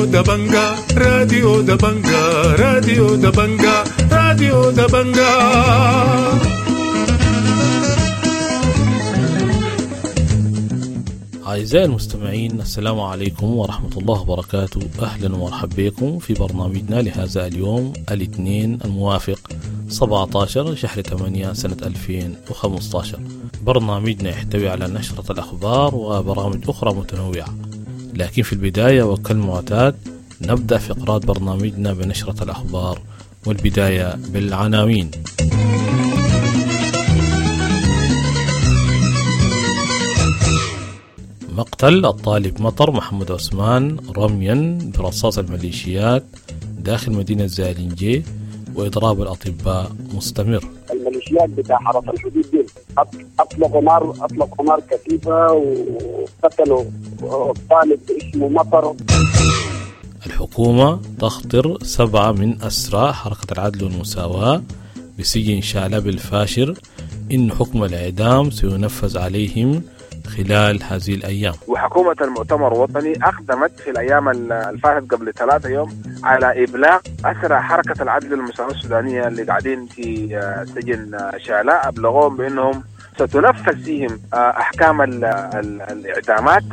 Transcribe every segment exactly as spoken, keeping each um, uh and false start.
راديو دبنجا راديو دبنجا راديو دبنجا راديو دبنجا. أعزائي المستمعين، السلام عليكم ورحمة الله وبركاته. أهلا ومرحبا بكم في برنامجنا لهذا اليوم الاثنين الموافق سبعة عشر شهر ثمانية سنة ألفين وخمسة عشر. برنامجنا يحتوي على نشرة الأخبار وبرامج أخرى متنوعة، لكن في البداية وكالمعتاد نبدأ فقرات برنامجنا بنشرة الأخبار، والبداية بالعناوين. مقتل الطالب مطر محمد عثمان رميا برصاص الميليشيات داخل مدينة زالينجي وإضراب الأطباء مستمر. الميليشيات بتاع حرس الحدود دي أطلقوا نار أطلقوا نار كثيفة وقتلوا طالب اسمه مطر. الحكومة تخطر سبعة من أسرى حركة العدل والمساواة بسجن شعلب الفاشر إن حكم الإعدام سينفذ عليهم خلال هذه الأيام. وحكومة المؤتمر الوطني أقدمت في الأيام الفاتت قبل ثلاثة يوم على إبلاغ أسرى حركة العدل والمساواة السودانية اللي قاعدين في سجن شعلاء، أبلغوهم بأنهم ستنفذ فيهم أحكام الإعدامات.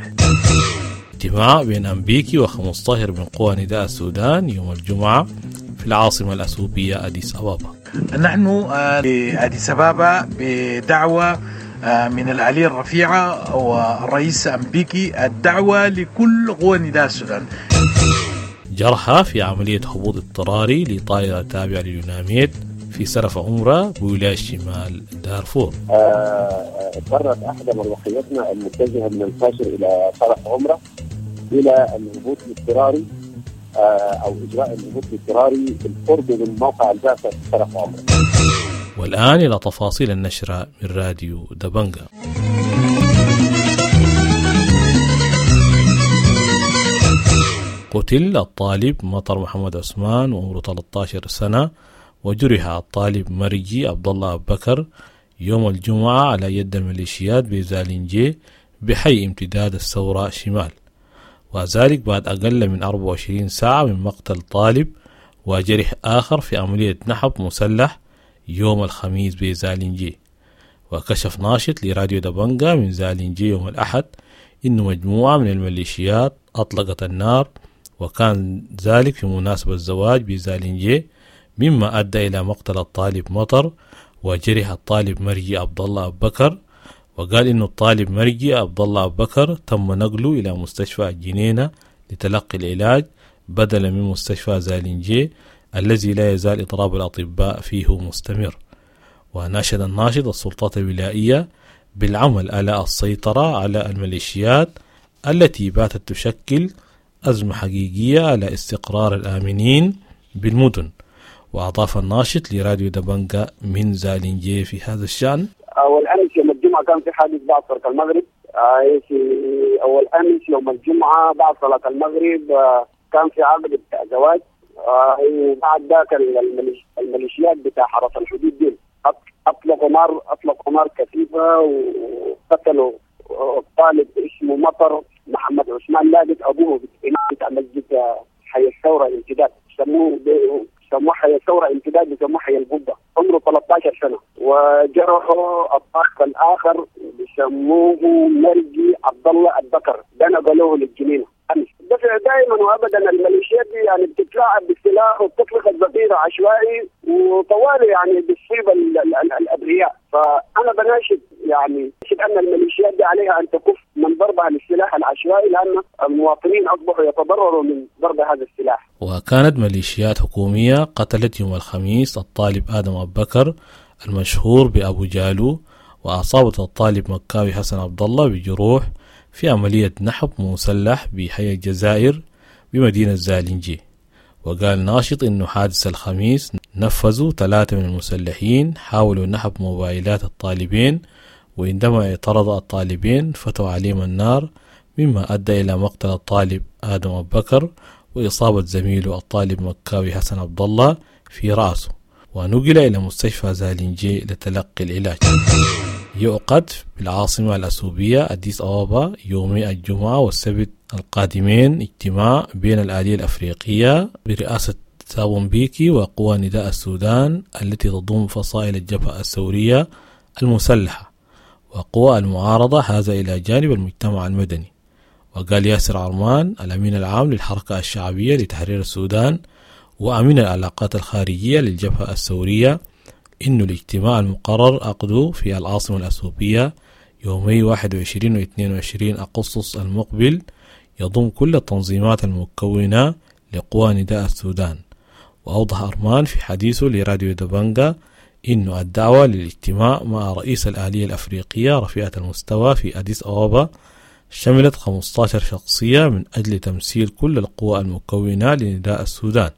اجتماع بين أمبيكي وخمسطاهر من قوى نداء السودان يوم الجمعة في العاصمة الأثيوبية أديس أبابا. نحن في أديس أبابا بدعوة من العالية الرفيعة والرئيس أمبيكي، الدعوة لكل قوى نداء السودان. جرحى في عملية هبوط اضطراري لطائرة تابعة لليوناميد في سرف عمرة بولاية شمال دارفور. اضطرت أحدى مروحياتنا المتجهة من الفاشر إلى سرف عمرة إلى الهبوط الاضطراري أو إجراء الهبوط الاضطراري بالقرب من موقع البعثة في سرف عمرة. والآن إلى تفاصيل النشرة من راديو دبنجا. قتل الطالب مطر محمد عثمان وعمره ثلاثة عشر سنة، وجرح الطالب مرجي عبد الله أبو بكر يوم الجمعة على يد الميليشيات بزالينجي بحي امتداد الثورة شمال، وذلك بعد أقل من أربعة وعشرين ساعة من مقتل طالب وجرح آخر في عملية نحب مسلح يوم الخميس بزالينجي. وكشف ناشط لراديو دبنجا من زالينجي يوم الأحد إن مجموعة من الميليشيات أطلقت النار، وكان ذلك في مناسبة الزواج بزالينجي، مما أدى إلى مقتل الطالب مطر وجرح الطالب مرجي عبد الله أبو بكر. وقال إن الطالب مرجي عبد الله أبو بكر تم نقله إلى مستشفى الجنينة لتلقي العلاج بدلا من مستشفى زالينجي الذي لا يزال إضراب الأطباء فيه مستمر. وناشد الناشط السلطات الولائية بالعمل على السيطرة على الميليشيات التي باتت تشكل أزمة حقيقية على استقرار الآمنين بالمدن. وأضاف الناشط لراديو دبنجا من زالينجي في هذا الشأن: أول أمس يوم الجمعة كان في حادث بعد صلاة المغرب. في أول أمس يوم الجمعة بعد صلاة المغرب كان في عقد بتاع زواج، وبعد ذاك الميليشيات بتاع حرس الحدود دي أطلقوا نار أطلقوا نار كثيفة وقتلوا طالب اسمه مطر محمد عثمان، لاقت أبوه بتاع مسجد حي الثورة امتداد، سموه سموه حي الثورة امتداد، بيسموه حي القبة، عمره ثلاثة عشر سنة. وجرحوا الطالب الآخر بيسموه مرجي عبد الله البكر، ده نقلوه للجنينة أمس. دفع دائما وابدا الميليشيات دي يعني بتتلاعب بالسلاح وبتطلق الذخيره عشوائي وطوالي يعني بتصيب الابرياء. فانا بناشد يعني ان الميليشيات دي عليها ان تكف من ضربها للسلاح العشوائي، لان المواطنين اصبحوا يتضرروا من ضرب هذا السلاح. وكانت ميليشيات حكوميه قتلت يوم الخميس الطالب ادم ابو بكر المشهور بابو جالو، واصابت الطالب مكاوي حسن عبد الله بجروح في عملية نحب مسلح بحي الجزائر بمدينة زالينجي. وقال ناشط إنه حادث الخميس نفذوا ثلاثة من المسلحين حاولوا نحب موبايلات الطالبين، وعندما اعترض الطالبين فتوا عليهم النار، مما أدى إلى مقتل الطالب آدم أبو بكر وإصابة زميله الطالب مكاوي حسن عبد الله في رأسه، ونقل إلى مستشفى زالينجي لتلقي العلاج. يعقد بالعاصمة الأثيوبية أديس أبابا يومي الجمعة والسبت القادمين اجتماع بين الآلية الأفريقية برئاسة ثابو مبيكي وقوى نداء السودان التي تضم فصائل الجبهة الثورية المسلحة وقوى المعارضة، هذا إلى جانب المجتمع المدني. وقال ياسر عرمان الأمين العام للحركة الشعبية لتحرير السودان وأمين العلاقات الخارجية للجبهة الثورية إنه الاجتماع المقرر عقده في العاصمة الأثيوبية يومي واحد وعشرين و اثنين وعشرين أغسطس المقبل يضم كل التنظيمات المكونة لقوى نداء السودان. وأوضح أرمان في حديثه لراديو دبنجا إنه الدعوة للاجتماع مع رئيس الآلية الأفريقية رفيعة المستوى في أديس أبابا شملت خمستاشر شخصية من أجل تمثيل كل القوى المكونة لنداء السودان،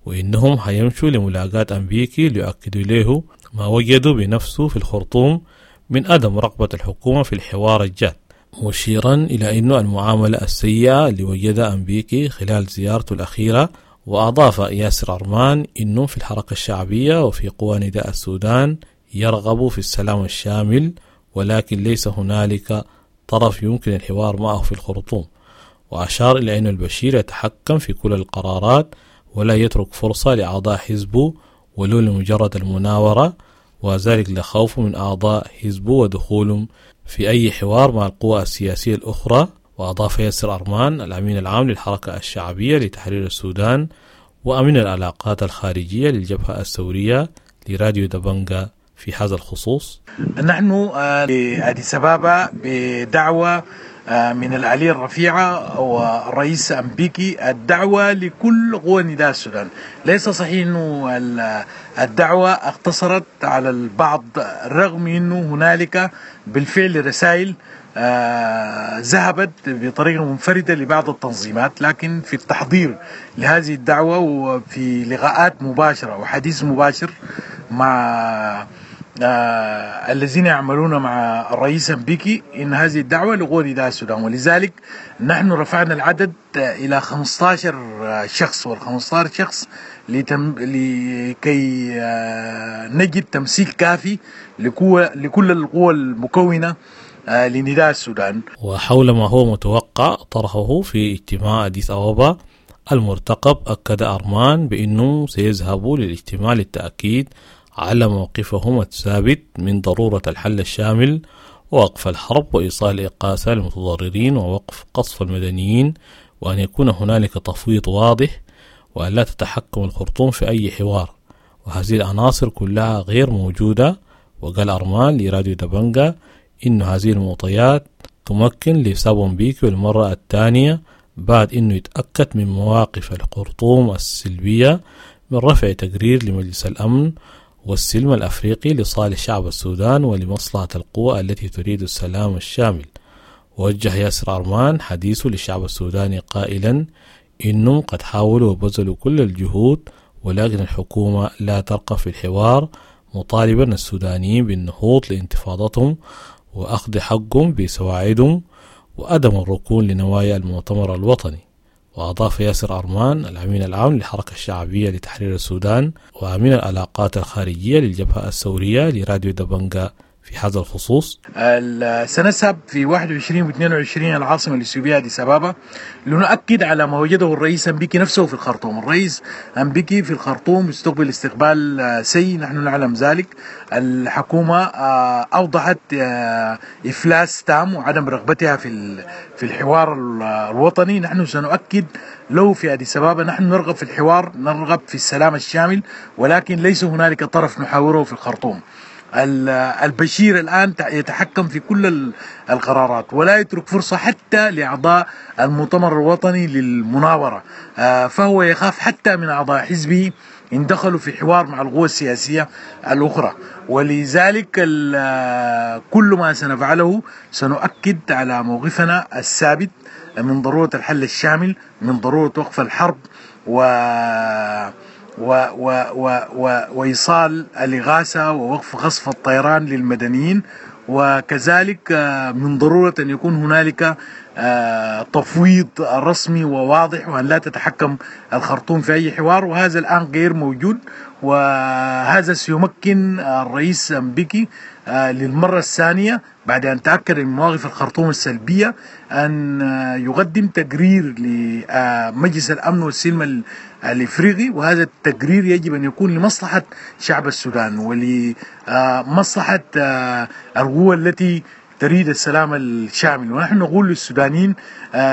وإنهم هيمشوا لملاقاة أمبيكي ليؤكدوا له ما وجدوا بنفسه في الخرطوم من عدم رغبة الحكومة في الحوار الجاد، مشيرا إلى أن المعاملة السيئة اللي وجدها أمبيكي خلال زيارته الأخيرة. وأضاف ياسر عرمان إنه في الحركة الشعبية وفي قوى نداء السودان يرغب في السلام الشامل، ولكن ليس هنالك طرف يمكن الحوار معه في الخرطوم. وأشار إلى أن البشير يتحكم في كل القرارات ولا يترك فرصة لأعضاء حزبه ولو لمجرد المناورة، وذلك لخوفه من أعضاء حزبه ودخولهم في أي حوار مع القوى السياسية الأخرى. وأضاف ياسر أرمان الأمين العام للحركة الشعبية لتحرير السودان وأمين العلاقات الخارجية للجبهة الثورية لراديو دبنجا في هذا الخصوص: نحن أديس أبابا بدعوة من الآلية الرفيعة والرئيس أمبيكي، الدعوة لكل قوى نداء السودان. ليس صحيح أنه الدعوة اقتصرت على البعض، رغم أنه هنالك بالفعل رسائل ذهبت بطريقة منفردة لبعض التنظيمات، لكن في التحضير لهذه الدعوة وفي لقاءات مباشرة وحديث مباشر مع آه الذين يعملون مع الرئيس أمبيكي إن هذه الدعوة لقوى نداء السودان، ولذلك نحن رفعنا العدد إلى خمستاشر شخص، والخمستاشر شخص لتم لكي آه نجد تمثيل كافي لكل, لكل القوى المكونة آه لنداء السودان. وحول ما هو متوقع طرحه في اجتماع أديس أبابا المرتقب، أكد أرمان بأنه سيذهب للاجتماع للتأكيد على موقفهم الثابت من ضرورة الحل الشامل ووقف الحرب وإيصال الإغاثة للمتضررين ووقف قصف المدنيين، وأن يكون هنالك تفويض واضح وأن لا تتحكم الخرطوم في أي حوار، وهذه العناصر كلها غير موجودة. وقال أرمان لراديو دبنجا إن هذه المعطيات تمكن لثابو مبيكي للمرة الثانية بعد إنه يتأكد من مواقف الخرطوم السلبية من رفع تقرير لمجلس الأمن والسلم الأفريقي لصالح شعب السودان ولمصلحة القوى التي تريد السلام الشامل. وجه ياسر أرمان حديثه للشعب السوداني قائلا إنهم قد حاولوا وبذلوا كل الجهود، ولكن الحكومة لا ترقى في الحوار، مطالبا السودانيين بالنهوض لانتفاضتهم وأخذ حقهم بسواعدهم وعدم الركون لنوايا المؤتمر الوطني. وأضاف ياسر أرمان الأمين العام للحركة الشعبية لتحرير السودان وأمين العلاقات الخارجية للجبهة الثورية لراديو دبنجا في هذا الخصوص: سنذهب في واحد وعشرين واثنين وعشرين العاصمة الإثيوبية أديس أبابا لنؤكد على ما وجده الرئيس أمبيكي نفسه في الخرطوم. الرئيس أمبيكي في الخرطوم استقبل استقبال سيء، نحن نعلم ذلك. الحكومة أوضحت إفلاس تام وعدم رغبتها في في الحوار الوطني. نحن سنؤكد له في أديس أبابا نحن نرغب في الحوار، نرغب في السلام الشامل، ولكن ليس هنالك طرف نحاوره في الخرطوم. البشير الآن يتحكم في كل القرارات ولا يترك فرصة حتى لأعضاء المؤتمر الوطني للمناورة، فهو يخاف حتى من أعضاء حزبه إن دخلوا في حوار مع القوى السياسية الأخرى. ولذلك كل ما سنفعله سنؤكد على موقفنا الثابت من ضرورة الحل الشامل، من ضرورة وقف الحرب و و و و و وإيصال الإغاثة ووقف قصف الطيران للمدنيين، وكذلك من ضرورة أن يكون هنالك تفويض رسمي وواضح وأن لا تتحكم الخرطوم في أي حوار، وهذا الآن غير موجود. وهذا سيمكن الرئيس أمبيكي للمرة الثانية بعد أن تأكد من مواقف الخرطوم السلبية أن يقدم تقرير لمجلس الأمن والسلم الإفريقي، وهذا التقرير يجب أن يكون لمصلحة شعب السودان ولمصلحة القوى التي تريد السلام الشامل. ونحن نقول للسودانيين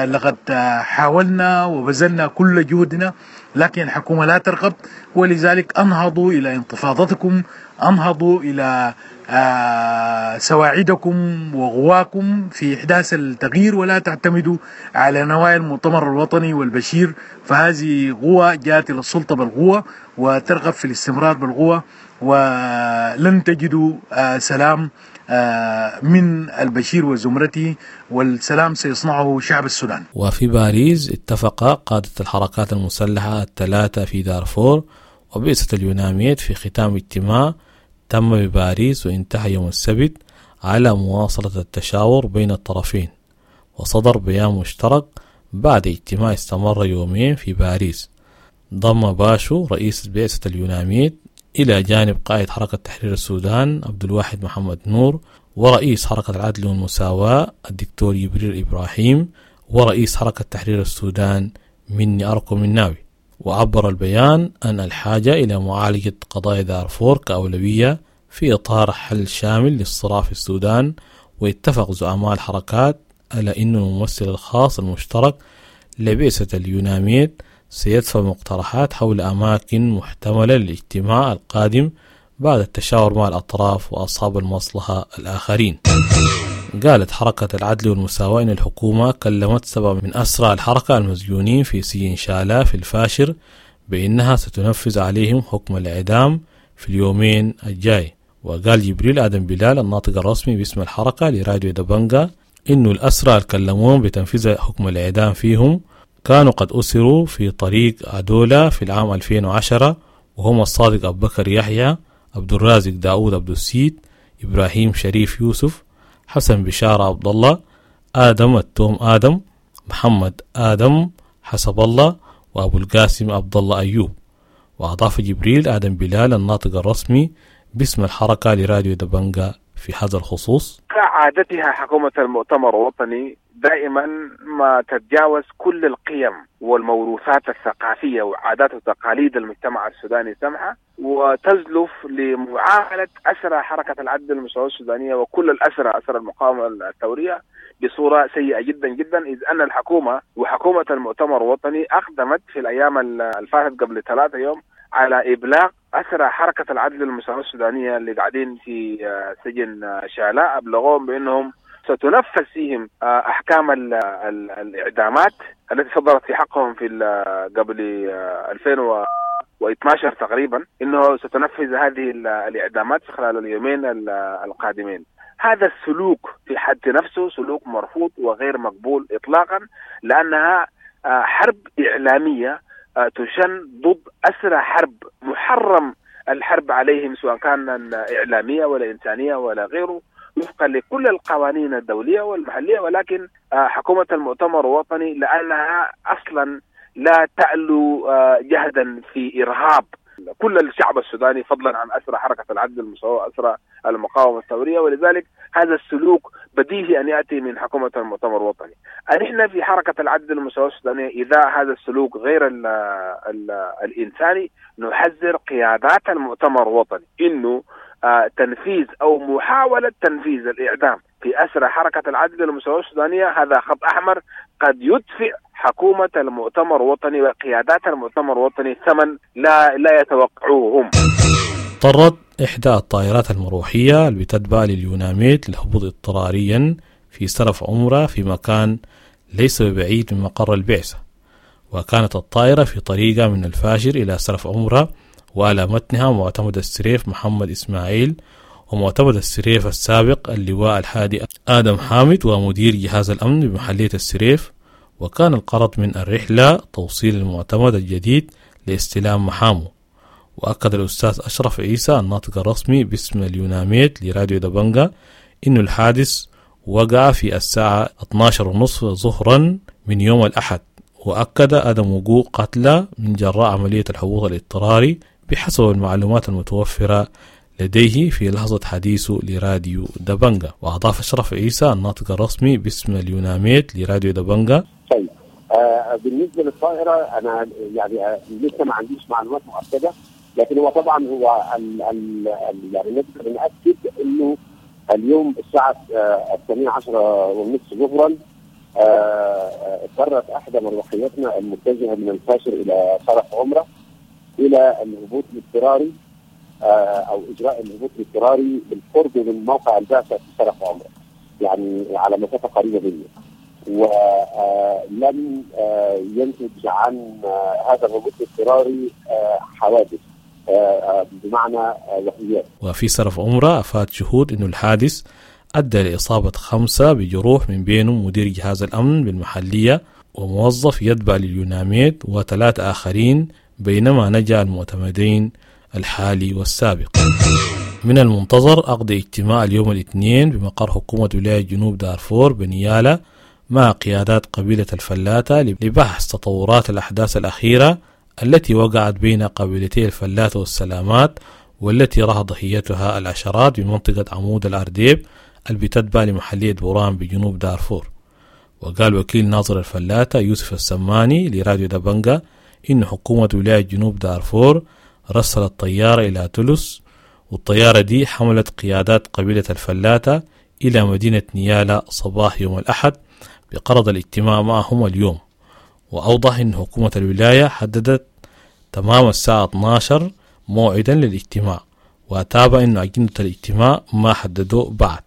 لقد حاولنا وبذلنا كل جهدنا، لكن الحكومة لا ترغب، ولذلك أنهضوا إلى انتفاضتكم، أنهضوا إلى سواعدكم وغواكم في إحداث التغيير، ولا تعتمدوا على نوايا المؤتمر الوطني والبشير، فهذه قوة جاءت إلى السلطة بالقوة وترغب في الاستمرار بالقوة، ولن تجدوا سلام من البشير وزمرته، والسلام سيصنعه شعب السودان. وفي باريس اتفق قادة الحركات المسلحة الثلاثة في دارفور وبعثة اليوناميد في ختام اجتماع تم بباريس وانتهى يوم السبت على مواصلة التشاور بين الطرفين، وصدر بيان مشترك بعد اجتماع استمر يومين في باريس. ضم باشو رئيس بعثة اليوناميد إلى جانب قائد حركة تحرير السودان عبد الواحد محمد نور، ورئيس حركة العدل والمساواة الدكتور جبريل إبراهيم، ورئيس حركة تحرير السودان مني أركو مناوي. وعبر البيان أن الحاجة إلى معالجة قضايا دارفور كأولوية في إطار حل شامل للصراع في السودان، واتفق زعماء الحركات على أن الممثل الخاص المشترك لبعثة اليوناميد سيدفع مقترحات حول أماكن محتملة للاجتماع القادم بعد التشاور مع الأطراف وأصحاب المصلحة الآخرين. قالت حركة العدل والمساواة إن الحكومة كلمت سبعة من أسرى الحركة المسجونين في سجن شالا في الفاشر بأنها ستنفذ عليهم حكم الإعدام في اليومين الجاي. وقال جبريل آدم بلال الناطق الرسمي باسم الحركة لراديو دبنجا إنه الأسرى الكلمون بتنفيذ حكم الإعدام فيهم كانوا قد أسروا في طريق عدولة في العام ألفين وعشرة، وهم الصادق أبو بكر يحيى، عبد الرازق داود عبد السيد، إبراهيم شريف يوسف، حسن بشارة عبد الله، آدم التوم آدم، محمد آدم حسب الله، وأبو القاسم عبد الله أيوب. وأضاف جبريل آدم بلال الناطق الرسمي باسم الحركة لراديو دبنجا في هذا الخصوص: كعادتها حكومة المؤتمر الوطني دائما ما تتجاوز كل القيم والموروثات الثقافية وعادات وتقاليد المجتمع السوداني سمحة، وتزلف لمعاملة أسرى حركة العدل والمساواة السودانية وكل الأسرى أسرى المقاومة الثورية بصورة سيئة جدا جدا، إذ أن الحكومة وحكومة المؤتمر الوطني أقدمت في الأيام الفاتت قبل ثلاثة يوم على إبلاغ أسرى حركة العدل والمساواة السودانية اللي قاعدين في سجن شالاء، أبلغوهم بأنهم ستنفذ فيهم أحكام ال ال الإعدامات التي صدرت في حقهم في قبل ألفين واثني عشر تقريبا، إنه ستنفذ هذه الإعدامات في خلال اليومين القادمين. هذا السلوك في حد نفسه سلوك مرفوض وغير مقبول إطلاقا، لأنها حرب إعلامية تشن ضد أسرى حرب محرم الحرب عليهم، سواء كان إعلامية ولا إنسانية ولا غيره، وفقا لكل القوانين الدولية والمحلية. ولكن حكومة المؤتمر الوطني لأنها أصلا لا تألو جهدا في إرهاب كل الشعب السوداني، فضلا عن أسرى حركة العدل والمساواة وأسرى المقاومة الثورية، ولذلك هذا السلوك بديهي أن يأتي من حكومة المؤتمر الوطني. نحن في حركة العدل والمساواة السودانية إذا هذا السلوك غير ال ال الإنساني نحذر قيادات المؤتمر الوطني إنه آه تنفيذ أو محاولة تنفيذ الإعدام في أسرى حركة العدل والمساواة السودانية هذا خط أحمر قد يدفع حكومة المؤتمر الوطني وقيادات المؤتمر الوطني ثمن لا لا يتوقعوه هم. اضطرت إحدى الطائرات المروحية اللي بتتبع لليوناميد للهبوط اضطراريا في سرف عمرة في مكان ليس ببعيد من مقر البعثة، وكانت الطائرة في طريقة من الفاشر إلى سرف عمرة، وعلى متنها معتمد السريف محمد إسماعيل ومعتمد السريف السابق اللواء الحادي آدم حامد ومدير جهاز الأمن بمحلية السريف. وكان الغرض من الرحلة توصيل المعتمد الجديد لاستلام محامه. وأكد الأستاذ أشرف عيسى الناطق الرسمي باسم اليوناميد لراديو دبنجا إنه الحادث وقع في الساعة اثني عشر ونصف ظهرا من يوم الأحد، وأكد عدم وقوع قتلى من جراء عملية الهبوط الاضطراري بحسب المعلومات المتوفرة لديه في لحظة حديثه لراديو دبنجا. وأضاف أشرف عيسى الناطق الرسمي باسم اليوناميد لراديو دبنجا: طيب آه بالنسبة للطائرة أنا يعني آه لسه ما عنديش معلومات مؤكدة، لكن هو طبعا هو ال ال ال يعني نقدر نأكد إنه اليوم الساعة آه الثانية عشرة والنصف ظهرا اضطرت آه احدى مروحياتنا المتجهه من الفاشر الى شرف عمره الى الهبوط الاضطراري آه او اجراء الهبوط الاضطراري بالقرب من موقع البعثة في شرف عمره، يعني على مسافة قريبه منه، ولم آه ينتج عن هذا الهبوط الاضطراري حوادث بمعنى وفيات. وفي صرف عمره أفاد شهود أنه الحادث أدى لإصابة خمسة بجروح من بينهم مدير جهاز الأمن بالمحلية وموظف يتبع لليوناميد وثلاث آخرين، بينما نجا المعتمدين الحالي والسابق. من المنتظر عقد اجتماع اليوم الاثنين بمقر حكومة ولاية جنوب دارفور بنيالا مع قيادات قبيلة الفلاتة لبحث تطورات الأحداث الأخيرة التي وقعت بين قبيلتي الفلاتة والسلامات، والتي راح ضحيتها العشرات بمنطقة عمود الأرديب اللي بتتبع لمحلية بوران بجنوب دارفور. وقال وكيل ناظر الفلاتة يوسف السماني لراديو دبنجا إن حكومة ولاية جنوب دارفور رسلت طيارة إلى تلس، والطيارة دي حملت قيادات قبيلة الفلاتة إلى مدينة نيالا صباح يوم الأحد بقرض الاجتماع معهم اليوم. وأوضح أن حكومة الولاية حددت تمام الساعة اثنا عشر موعدا للاجتماع، وتابع أن أجندة الاجتماع ما حددوه بعد.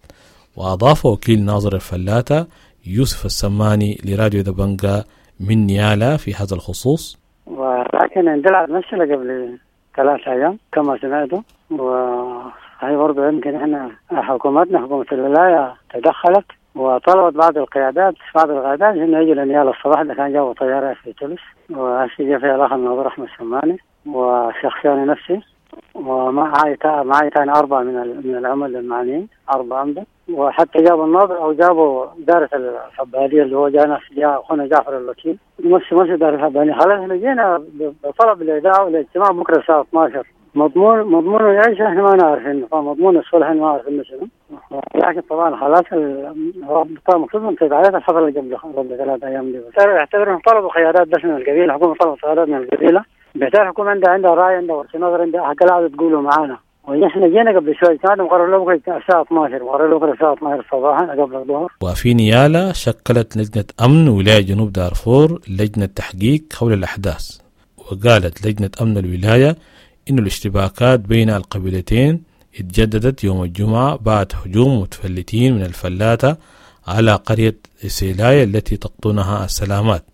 وأضاف وكيل ناظر الفلاتة يوسف السماني لراديو دبنجا من نيالا في هذا الخصوص: ولكن اندلعت مشكلة قبل ثلاثة أيام كما سمعتوا، وهي برضه يمكن احنا حكومتنا حكومة الولاية تدخلت وطلبت بعض القيادات بعض القيادات انه يجوا لنيالا الصباح ده، كان جابوا طيارة في تلس، وهسه جا فيها الاخ الناظر احمد سماني وشخصيا أنا نفسي، ومعي معي ثاني أربعة من من العمال المعنيين، أربعة عمدة، وحتى جابوا الناظر أو جابوا دارة الحبالية اللي هو جانا جاء أخونا جعفر الوكيل مش مش دار الحبالية. خلاص احنا جينا بطلب الإذاعة والاجتماع بكرة الساعة اثنا عشر. مضمون مضمون ايش احنا ما نعرف انه مضمون الصلح ما نعرف انه شنو، لكن طبعا خلاص المفروض من تداعيات الحفلة اللي قبل قبل ثلاث ايام دي. اعتبر انهم طلبوا قيادات بس من القبيلة، الحكومة طلبت قيادات من القبيلة، بالتالي الحكومة عندها عندها راي، عندها وجهه نظر، عندها حاجة تقولوا معانا. ونحن جينا قبل شوي كان مقرر له بكره الساعة اثنا عشر، مقرر له بكره الساعة اثنا عشر صباحا قبل الظهر. وفي نيالا شكلت لجنة أمن ولاية جنوب دارفور لجنة تحقيق حول الأحداث، وقالت لجنة أمن الولاية إن الاشتباكات بين القبيلتين اتجددت يوم الجمعة بعد هجوم متفلتين من الفلاتة على قرية سيلاي التي تقطنها السلامات.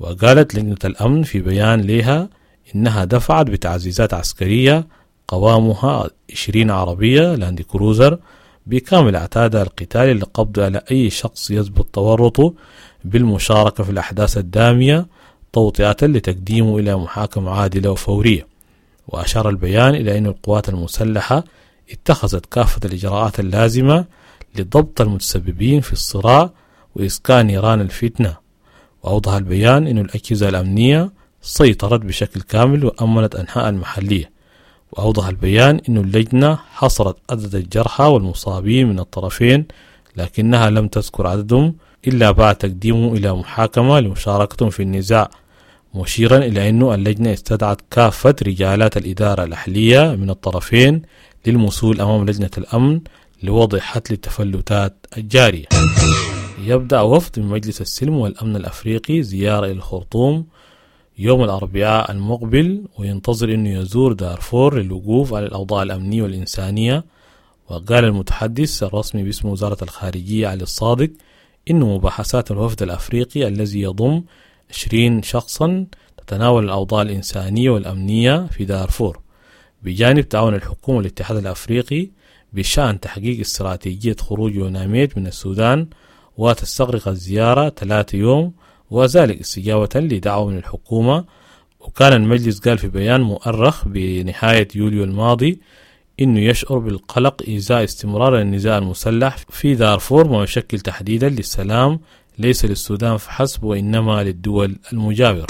وقالت لجنة الأمن في بيان لها إنها دفعت بتعزيزات عسكرية قوامها عشرين عربية لاند كروزر بكامل عتادها القتالي للقبض على أي شخص يثبت تورطه بالمشاركة في الأحداث الدامية، توطئة لتقديمه إلى محاكمة عادلة وفورية. وأشار البيان إلى أن القوات المسلحة اتخذت كافة الإجراءات اللازمة لضبط المتسببين في الصراع وإسكان نيران الفتنة. وأوضح البيان أن الأجهزة الأمنية سيطرت بشكل كامل وأمنت أنحاء المحلية. وأوضح البيان أن اللجنة حصرت عدد الجرحى والمصابين من الطرفين، لكنها لم تذكر عددهم إلا بعد تقديمهم إلى محاكمة لمشاركتهم في النزاع، مشيرا إلى أن اللجنة استدعت كافة رجالات الإدارة الأهلية من الطرفين للمثول أمام لجنة الأمن لوضع حد للتفلتات الجارية. يبدأ وفد من مجلس السلم والأمن الأفريقي زيارة إلى الخرطوم يوم الأربعاء المقبل، وينتظر أنه يزور دارفور للوقوف على الأوضاع الأمنية والإنسانية. وقال المتحدث الرسمي باسم وزارة الخارجية علي الصادق إن مباحثات الوفد الأفريقي الذي يضم عشرين شخصا تتناول الأوضاع الإنسانية والأمنية في دارفور، بجانب تعاون الحكومة والاتحاد الأفريقي بشأن تحقيق استراتيجية خروج يوناميد من السودان. وتستغرق الزيارة ثلاثة يوم، وذلك استجابة لدعوة من الحكومة. وكان المجلس قال في بيان مؤرخ بنهاية يوليو الماضي إنه يشعر بالقلق إزاء استمرار النزاع المسلح في دارفور، ما يشكل تحديدا للسلام ليس للسودان فحسب وإنما للدول المجاورة.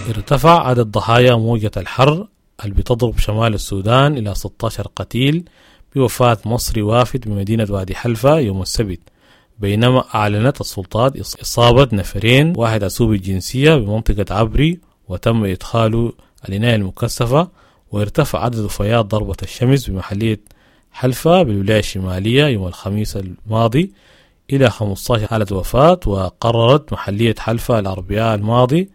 ارتفع عدد ضحايا موجة الحر اللي بتضرب شمال السودان إلى ستة عشر قتيل بوفاة مصري وافد بمدينة وادي حلفة يوم السبت، بينما أعلنت السلطات إصابة نفرين، واحد أسوبي الجنسية بمنطقة عبري وتم إدخاله العناية المكثفة، وارتفع عدد وفيات ضربة الشمس بمحلية حلفة بالولاية الشمالية يوم الخميس الماضي إلى خمسة عشر حالة وفاة. وقررت محلية حلفة الأربعاء الماضي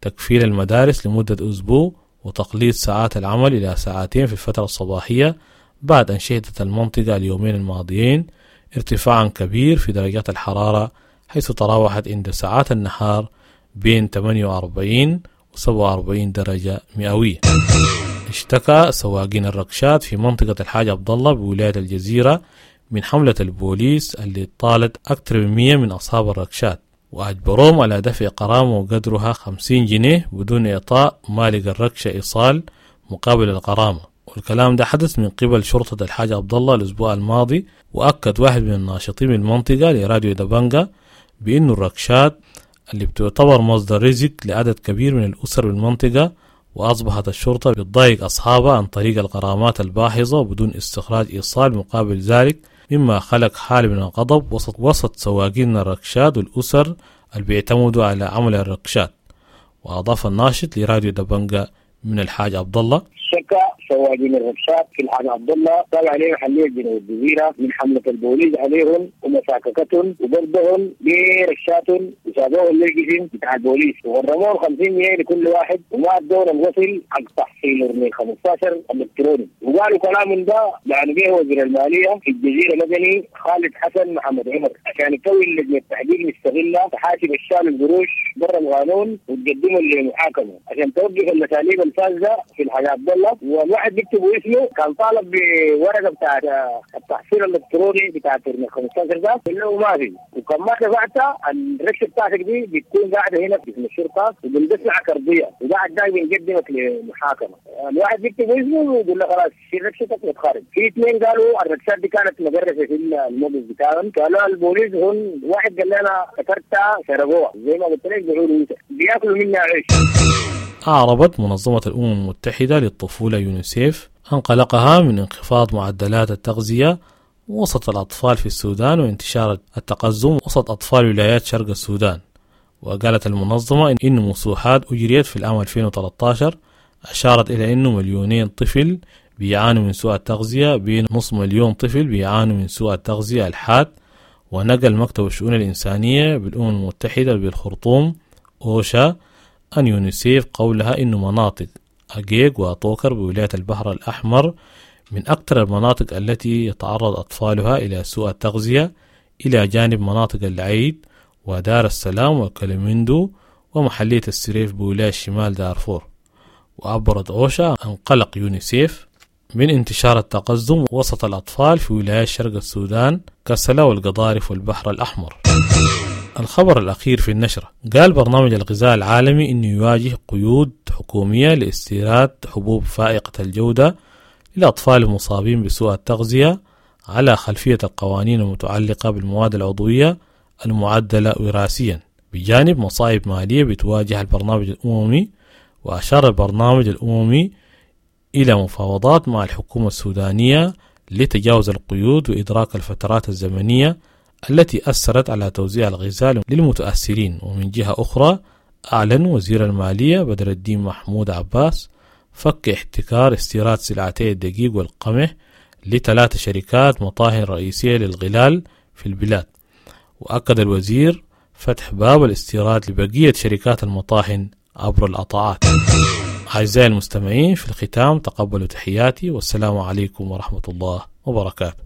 تكفيل المدارس لمدة أسبوع وتقليص ساعات العمل إلى ساعتين في الفترة الصباحية بعد أن شهدت المنطقة اليومين الماضيين ارتفاعا كبير في درجات الحرارة، حيث تراوحت عند ساعات النهار بين ثمانية وأربعين و سبعة وأربعين درجة مئوية. اشتكى سواقين الركشات في منطقة الحاج عبد الله بولاية الجزيرة من حملة البوليس اللي طالت أكثر من مئة من أصحاب الركشات، وأجبروهم على دفع غرامة وقدرها خمسين جنيه بدون إعطاء مالك الركشة إيصال مقابل الغرامة. والكلام ده حدث من قبل شرطة الحاج عبد الله الأسبوع الماضي. وأكد واحد من الناشطين بالمنطقة لراديو دبنجا بأنه الركشات اللي بتعتبر مصدر رزق لعدد كبير من الأسر بالمنطقة، وأصبحت الشرطة بتضايق أصحابها عن طريق الغرامات الباهظة بدون استخراج إيصال مقابل ذلك، مما خلق حالة من الغضب وسط, وسط سواقين الركشات والأسر اللي بيعتمدوا على عمل الركشات. وأضاف الناشط لراديو دبنجا من الحاج عبد الله: شكا سواقين الركشات في الحاج عبد الله طلع عليه محلية جنوب الجزيرة من حملة البوليس عليهم ومساككتهم وضربهم بركشاتهم وسابوهم للجسم بتاع البوليس وغرموهم خمسين جنيه لكل واحد وما ادونا الوصل حق تحصيل من خمسة عشر الالكتروني. وقالوا كلام ده يعني به وزير المالية في الجزيرة مدني خالد حسن محمد عمر عشان يكون لجنة تحقيق مستغلة تحاسب الشال القروش برا القانون وتقدمه للمحاكمة عشان توقف الاساليب الفاسدة في الحاج عبد الله. والواحد بيكتب اسمه كان طالب بورقه بتاعت التحصيل الالكتروني بتاعت خمسة عشر ده اللي هو ما في، وكان ما دفعتها الركشه بتاعتك دي بتكون قاعدة هنا في الشرطة وبندفعك ارضية وبعد ده بنقدمك لمحاكمه. الواحد بيكتب اسمه ويقول له خلاص شيل ركشتك وتخرج. في اثنين قالوا الركشات دي كانت مدرسه في الموقف بتاعهم، قالوا البوليس هون واحد قال لي انا افتكرتها سرقوها زي ما قلت لك بيقولوا بياكلوا منها عيش. أعربت منظمة الأمم المتحدة للطفولة يونيسيف عن قلقها من انخفاض معدلات التغذية وسط الأطفال في السودان وانتشار التقزم وسط أطفال ولايات شرق السودان. وقالت المنظمة إن مسوحات أجريت في العام ألفين وثلاثة عشر أشارت إلى أنه مليونين طفل بيعانوا من سوء التغذية، بين نص مليون طفل بيعانوا من سوء التغذية الحاد. ونقل مكتب الشؤون الإنسانية بالأمم المتحدة بالخرطوم أوشا أن يونيسيف قولها إنه مناطق أجيج وطوكر بولاية البحر الأحمر من أكثر المناطق التي يتعرض أطفالها إلى سوء التغذية، إلى جانب مناطق العيد ودار السلام وكلمندو ومحلية السريف بولاية شمال دارفور. وعبرت أوشا عن قلق يونيسيف من انتشار التقزم وسط الأطفال في ولايات شرق السودان كسلا والقضارف والبحر الأحمر. الخبر الأخير في النشرة: قال برنامج الغذاء العالمي إنه يواجه قيود حكومية لاستيراد حبوب فائقة الجودة للأطفال المصابين بسوء التغذية على خلفية القوانين المتعلقة بالمواد العضوية المعدلة وراثيا، بجانب مصاعب مالية بتواجه البرنامج الأممي. وأشار البرنامج الأممي إلى مفاوضات مع الحكومة السودانية لتجاوز القيود وإدراك الفترات الزمنية التي أثرت على توزيع الغذاء للمتأثرين. ومن جهة أخرى أعلن وزير المالية بدر الدين محمود عباس فك احتكار استيراد سلعتي الدقيق والقمح لثلاث شركات مطاهن رئيسية للغلال في البلاد. وأكد الوزير فتح باب الاستيراد لبقية شركات المطاحن عبر القطاعات. أعزائي المستمعين، في الختام تقبلوا تحياتي، والسلام عليكم ورحمة الله وبركاته.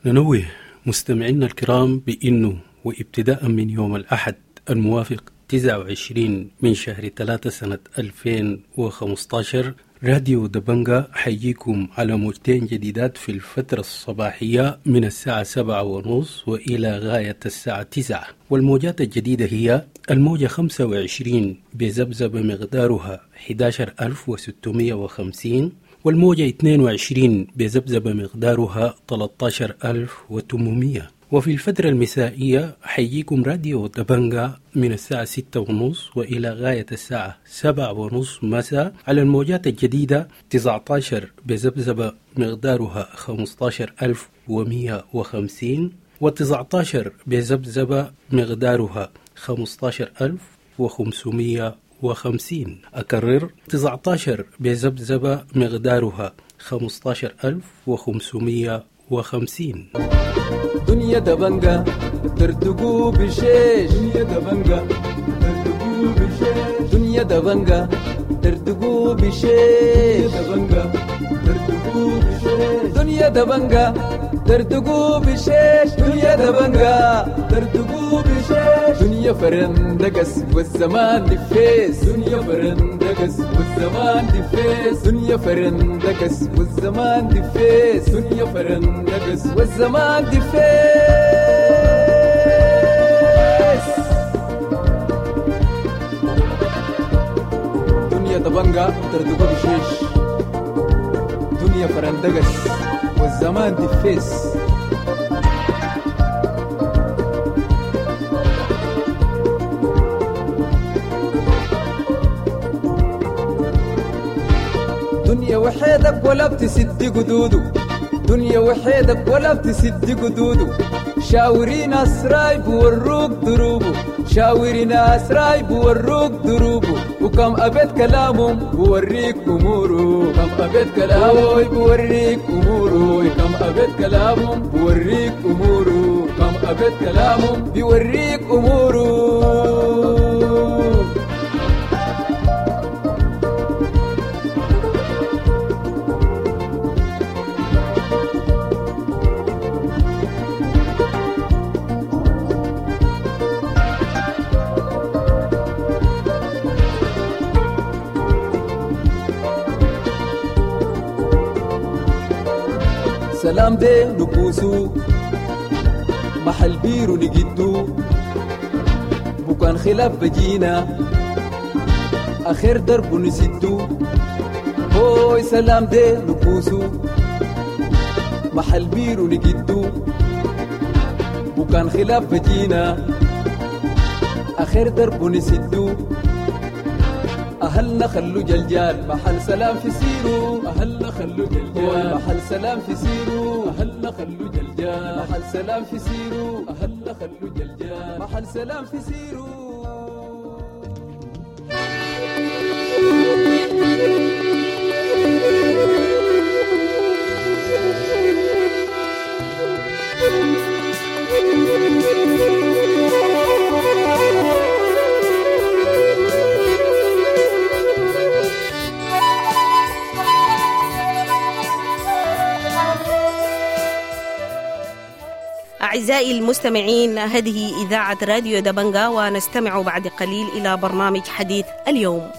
ننوه مستمعينا الكرام بأنه وابتداء من يوم الأحد الموافق تسعة وعشرين من شهر ثلاثة سنة ألفين وخمسة عشر راديو دبنجا حييكم على موجتين جديدات في الفترة الصباحية من الساعة سبعة ونص وإلى غاية الساعة تسعة، والموجات الجديدة هي الموجة خمسة وعشرين بذبذبة مقدارها أحد عشر ألف وستمائة وخمسين، والموجة اثنين وعشرين بذبذبة مقدارها ثلاثة عشر ألف وثمانمائة. وفي الفترة المسائية حيجيكم راديو دبنجا من الساعة ستة ونص وإلى غاية الساعة سبعة ونص مساء على الموجات الجديدة تسعة عشر بذبذبة مقدارها خمسة عشر ألف ومئة وخمسين وتسعة عشر بذبذبة مقدارها خمسة عشر ألف وخمسمئة وخمسين. أكرر تسعة عشر بذبذبة مقدارها خمسة عشر ألف وخمسمئة وخمسين. دنيا دبنجا تردقوا بشيش، دنيا دبنجا تردقوا بشيش، دنيا دبنجا تردقوا بشيش، دبنجا تردقوا بشيش، دنيا دبنجا تردقوا بشيش، دنيا دبنجا تردقوا بشيش، دنيا فرندقس والزمان دفيس، دنيا فرندقس والزمان دفيس، دنيا فرندقس والزمان دفيس، دنيا فرندقس والزمان دفيس. دنيا دبنجا تردقوا بشيش، دنيا فرندقس والزمان دفيس. دنيا وحيدك ولا بتسد قدوده، دنيا وحيدك ولا بتسد قدوده، شاوري ناس رايب وروك دروبه، شاوري ناس رايب وروك دروبه، وكم أبيت كلامهم بوريك أموره، كم أبيت كلامهم بوريك أموره، كم أبيت كلامهم بوريك أموره، كم أبيت كلامهم بيوريك أموره. سلام دي نكوسو محل بيرو نجدو، بكان خلاف بجينا آخر درب نسدو، هوي سلام دي نكوسو محل بيرو نجدو، بكان خلاف بجينا آخر درب نسدو، أهلنا خلو جلجال محل سلام في سيرو، أهلنا خلو جلجال محل سلام في سيرو، أهلنا خلو جلجال محل سلام في سيرو، أهلنا خلو جلجال محل سلام في سيرو. أعزائي المستمعين، هذه إذاعة راديو دبنجا، ونستمع بعد قليل إلى برنامج حديث اليوم.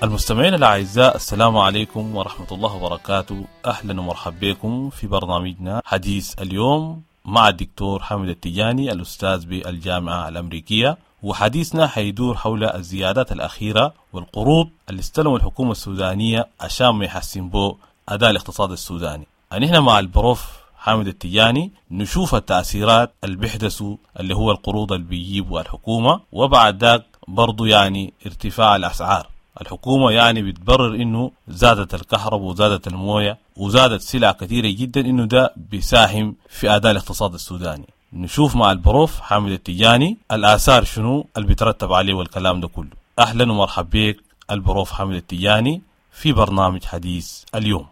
المستمعين الأعزاء، السلام عليكم ورحمة الله وبركاته. أهلا ومرحبا بكم في برنامجنا حديث اليوم مع الدكتور حامد التجاني الأستاذ بالجامعة الأمريكية، وحديثنا حيدور حول الزيادات الأخيرة والقروض اللي استلموا الحكومة السودانية عشان ما يحسن بو أداء الاقتصاد السوداني. نحن مع البروف حامد التجاني نشوف التأثيرات اللي بيحدثوا اللي هو القروض اللي بيجيبوا الحكومة، وبعد ذاك برضو يعني ارتفاع الأسعار. الحكومة يعني بتبرر إنه زادت الكهرباء وزادت الموية وزادت سلع كثيرة جدا، إنه ده بيساهم في أداء الاقتصاد السوداني. نشوف مع البروف حامد التجاني الآثار شنو اللي بيترتب عليه والكلام ده كله. أهلا ومرحبا بك البروف حامد التجاني في برنامج حديث اليوم.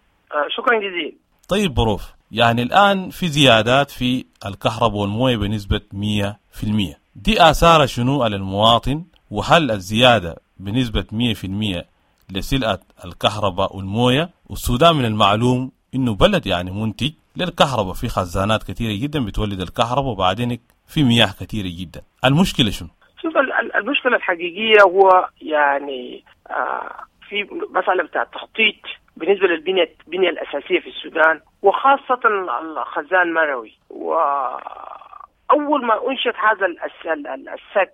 شكرا جزيلا. طيب بروف، يعني الآن في زيادات في الكهرباء والموية بنسبة مية في المية، دي آثار شنو على المواطن؟ وهل الزيادة بنسبة مية في المية لسلعة الكهرباء والموية؟ والسودان من المعلوم إنه بلد يعني منتج للكهرباء، في خزانات كثيرة جدا بتولد الكهرباء، وبعدين في مياه كثيرة جدا. المشكلة شنو؟ شوف، المشكلة الحقيقية هو يعني آه في مسألة بتاع التخطيط بالنسبة للبنية البنية الأساسية في السودان، وخاصة الخزان مروي. وأول ما أنشئت هذا السد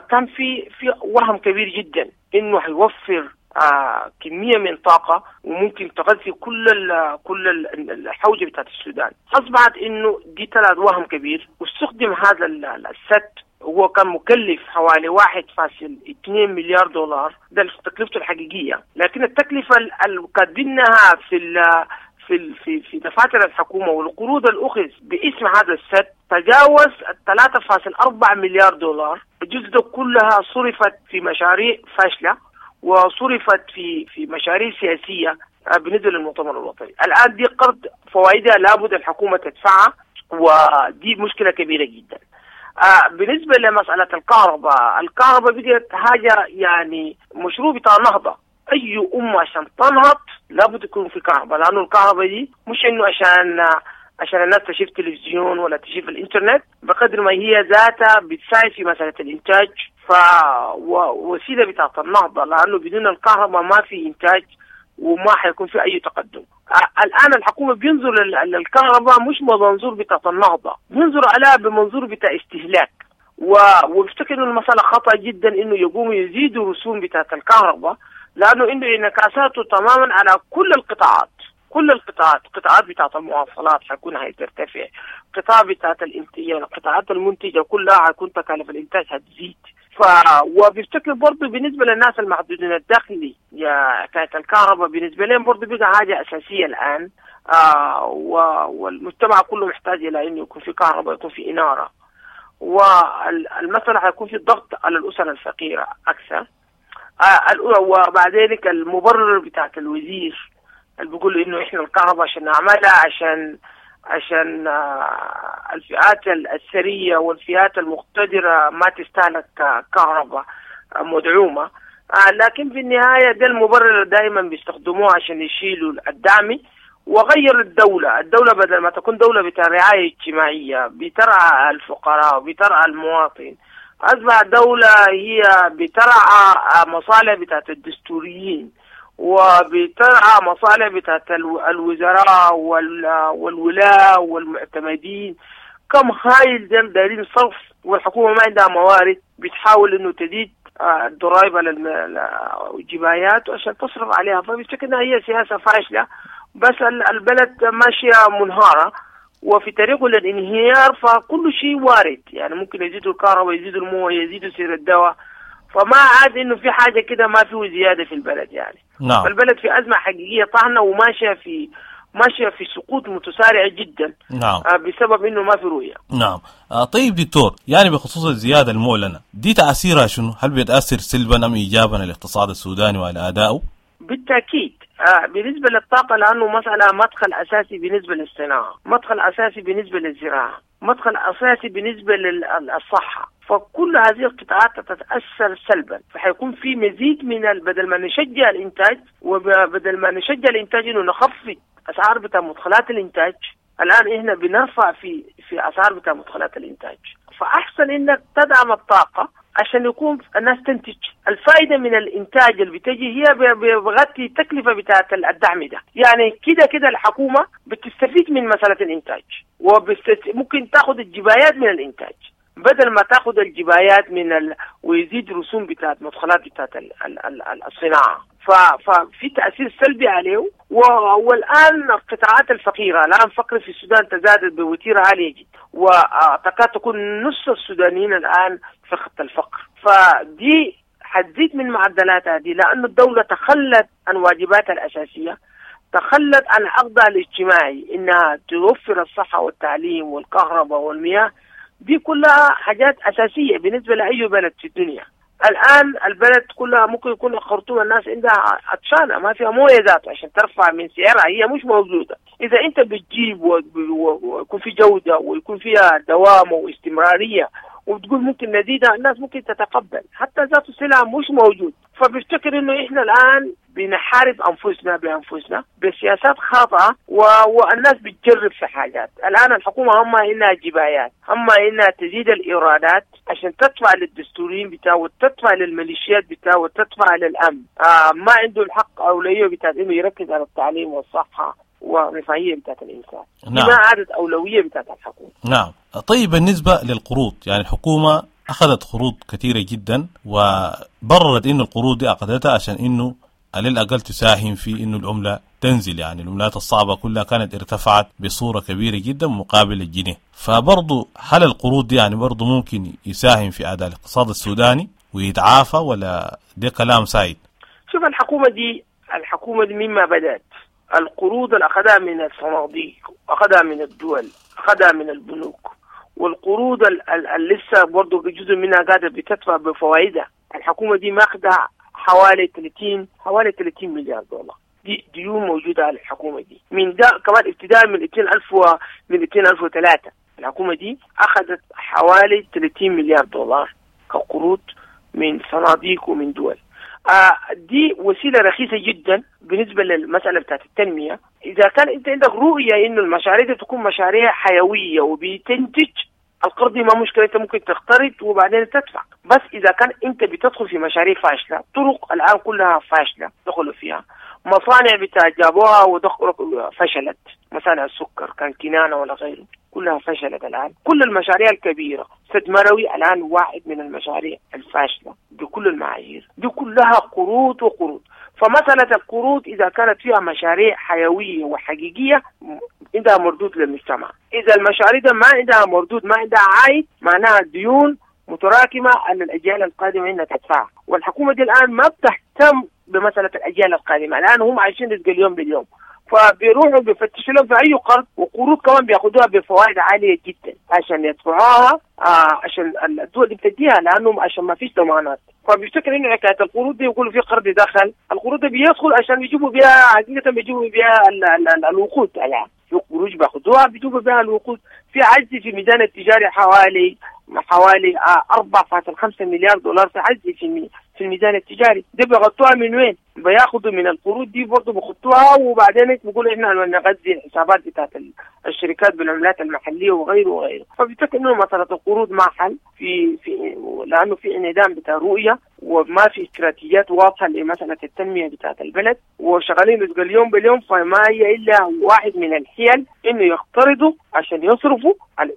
كان في في وهم كبير جدا إنه هيوفر آه كمية من طاقة وممكن تغذي كل ال كل ال الحوجة بتاعت السودان. أصبحت إنه دي طلعت وهم كبير، واستخدم هذا السد، هو كان مكلف حوالي واحد فاصل اثنين مليار دولار، ده تكلفته الحقيقية، لكن التكلفة اللي كاتبينها في ال في في في دفاتر الحكومة والقروض الأخذ باسم هذا السد تجاوز ثلاثة فاصل أربعة مليار دولار. الجزء ده كلها صرفت في مشاريع فاشلة وصرفت في في مشاريع سياسية بالنسبة للمؤتمر الوطني. الآن دي قرض فوائدها لابد الحكومة تدفعها، ودي مشكلة كبيرة جدا. آه بالنسبة لمسألة الكهرباء، الكهرباء بقت حاجة يعني مشروع بتاع نهضة. أي أمة عشان تنهض لابد يكون في كهرباء، لأنه الكهرباء دي مش إنه عشان عشان الناس تشوف تلفزيون ولا تشوف الإنترنت، بقدر ما هي ذاتها بتساعد في مسألة الإنتاج، فوسيلة بتاعت النهضة، لأنه بدون الكهرباء ما في إنتاج وما حيكون في أي تقدم. الآن الحكومة بينظر للكهرباء مش بمنظور بتاعت النهضة، بينظر عليها بمنظور بتاع استهلاك، وبفتكر إنه المسألة خطأ جدا إنه يقوموا يزيدوا رسوم بتاعت الكهرباء، لأنه إنه انعكاساته تماما على كل القطاعات، كل القطاعات، قطاعات بتاعت المواصلات حيكون هترتفع، قطاع بتاعت الانتاج، القطاعات المنتجة كلها حيكون تكاليف الإنتاج هتزيد. ف وبيفتكر برضه بالنسبة للناس المحدودين الدخل يا حكاية الكهرباء بالنسبة لهم برضه بقى حاجة أساسية الآن، آه و... والمجتمع كله محتاج إلى إنه يكون في كهرباء، يكون في إنارة، والمسألة حيكون في ضغط على الأسر الفقيرة أكثر. آه وبعد ذلك المبرر بتاعت الوزير اللي بيقول إنه إحنا الكهرباء عشان نعملها عشان عشان الفئات الثرية والفئات المقتدرة ما تستهلك كهرباء مدعومة، لكن في النهاية ده المبرر دائما بيستخدموه عشان يشيلوا الدعم. وغير الدولة، الدولة بدل ما تكون دولة بتاع رعاية اجتماعية بترعى الفقراء وبترعى المواطن، أصبح دولة هي بترعى مصالح بتاعت الدستوريين وبترعى مصالح بتاعت الوزراء والولاة والمعتمدين. كم هايل ديل دايرين صرف، والحكومة ما عندها موارد، بتحاول انه تزيد الضرائب على الجبايات عشان تصرف عليها. فبشكل انها هي سياسة فاشلة، بس البلد ماشية منهارة وفي طريقه للانهيار، فكل شيء وارد، يعني ممكن يزيدوا الكهرباء، يزيدوا المويه، يزيدوا سعر الدواء، فما عاد انه في حاجة كده ما فيه زيادة في البلد يعني. نعم. فالبلد في ازمة حقيقية طاحنة وماشية في ماشية في سقوط متسارع جدا. نعم. بسبب انه ما في رؤية. نعم. آه طيب دكتور، يعني بخصوص الزيادة المعلنة دي تاثيرها شنو؟ هل بيتاثر سلبا ام ايجابا على الاقتصاد السوداني وعلى ادائه؟ بالتاكيد. آه بالنسبة للطاقة، لانه مسالة مدخل اساسي بالنسبة للصناعة، مدخل اساسي بالنسبة للزراعة، مدخل اساسي بالنسبة للصحة، فكل هذه القطاعات تتاثر سلبا، فحيكون في مزيد من بدل ما نشجع الانتاج، وبدل ما نشجع الانتاج انه نخفض اسعار بتاع مدخلات الانتاج، الان احنا بنرفع في في اسعار بتاع مدخلات الانتاج. فاحسن انك تدعم الطاقة عشان يكون الناس تنتج. الفائدة من الانتاج اللي بتجي هي بغطي التكلفة بتاعه الدعم ده، يعني كده كده الحكومة بتستفيد من مسالة الانتاج، وممكن تاخذ الجبايات من الانتاج بدل ما تاخذ الجبايات من ال... ويزيد رسوم بتاعت مدخلات بتاعت ال... ال... ال... الصناعة. ف... ففي تاثير سلبي عليه. و... والان القطاعات الفقيرة، الان الفقر في السودان تزادت بوتيره عالية جدا، وتكاد تكون نص السودانيين الان في خط الفقر، فدي حتزيد من معدلاتها دي، لأن الدولة تخلت عن واجباتها الأساسية، تخلت عن عقدها الاجتماعي إنها توفر الصحة والتعليم والكهرباء والمياه، دي كلها حاجات أساسية بالنسبة لأي بلد في الدنيا. الآن البلد كلها ممكن يكون الخرطوم الناس عندها عطشانة، ما فيها موية ذاته عشان ترفع من سعرها، هي مش موجودة. إذا أنت بتجيب ويكون في جودة ويكون فيها دوام واستمرارية وبتقول ممكن نزيدها، الناس ممكن تتقبل، حتى ذات السلعة مش موجود. فبفتكر انه احنا الان بنحارب انفسنا بانفسنا بسياسات خاطئه و... والناس بتجرب في حاجات. الان الحكومة هم انها جبايات، هم انها تزيد الايرادات عشان تدفع للدستوريين بتاعه وتدفع للميليشيات بتاعه وتدفع للامن. آه ما عنده الحق اولوية بتاعت انه يركز على التعليم والصحة والرفاهية بتاعت الانسان. نعم. ما عادت اولوية بتاعت الحكومة. نعم. طيب بالنسبة للقروض، يعني الحكومة اخذت قروض كثيرة جدا وبررت انه القروض دي اخذتها عشان انه على الأقل تساهم في إنه العملة تنزل، يعني العملات الصعبة كلها كانت ارتفعت بصورة كبيرة جدا مقابل الجنيه. فبرضو هل القروض دي يعني برضو ممكن يساهم في أداء الاقتصاد السوداني ويتعافى ولا ده كلام سايد؟ شوف الحكومة دي الحكومة دي مما بدأت القروض اللي أخذها من الصناديق، أخذها من الدول، أخذها من البنوك، والقروض اللي لسه برضو جزء منها قاعدة بتدفع بفوائدها. الحكومة دي ماخذة حوالي ثلاثين حوالي ثلاثين مليار دولار دي ديون موجودة على الحكومة دي من ده كمان ابتداء من ألفين و من ألفين وثلاثة الحكومة دي اخذت حوالي ثلاثين مليار دولار كقروض من صناديق ومن دول. آه دي وسيلة رخيصة جدا بالنسبة للمسالة بتاعت التنمية. اذا كان انت عندك رؤية انه المشاريع دي تكون مشاريع حيوية وبتنتج، القرض ما مشكلة، انت ممكن تقترض وبعدين تدفع. بس اذا كان انت بتدخل في مشاريع فاشلة، طرق الان كلها فاشلة دخلوا فيها، مصانع بتاع جابوها ودخلوا فشلت، مصانع السكر كان كنانة ولا غيره كلها فشلت الان. كل المشاريع الكبيرة، سد مروي الان واحد من المشاريع الفاشلة بكل المعايير، دي كلها قروض وقروض. فمسألة القروض إذا كانت فيها مشاريع حيوية وحقيقية عندها مردود للمجتمع. إذا المشاريع ده ما عندها مردود، ما عندها عائد، معناها ديون متراكمة على الأجيال القادمة إنها تدفعها. والحكومة دي الآن ما بتهتم بمسألة الأجيال القادمة، الآن هم عايشين رزق اليوم باليوم، فبيروحوا بيفتشوا لهم في أي قرض، وقروض كمان بياخدوها بفوائد عالية جدا عشان يدفعوها، آه عشان الدول دي بتديها لأنهم عشان ما فيش ضمانات. فبيفتكر انه حكاية القروض دي يقولوا في قرض دخل، القروض دي بيدخل عشان يجيبوا بها حقيقة، بيجيبوا بها ال ال ال الوقود. يعني في قروض بياخدوها بيجيبوا بها الوقود. في عجز في الميزان التجاري حوالي حوالي أربعة فاصلة خمسة مليار دولار في عجز في في الميزان التجاري. دي بيغطوها من وين؟ بياخدوا من القروض دي برضه بيخطوها، وبعدين بيقولوا احنا نغذي الحسابات بتاعت الشركات بالعملات المحلية وغيره وغيره. فبيفتكر انه مسالة القروض ما حل في في لانه في انعدام بتاع رؤية وما في استراتيجيات واضحة لمسالة التنمية بتاعت البلد، وشغالين رزق اليوم باليوم. فما هي الا واحد من الحيل انه يقترضوا عشان يصرفوا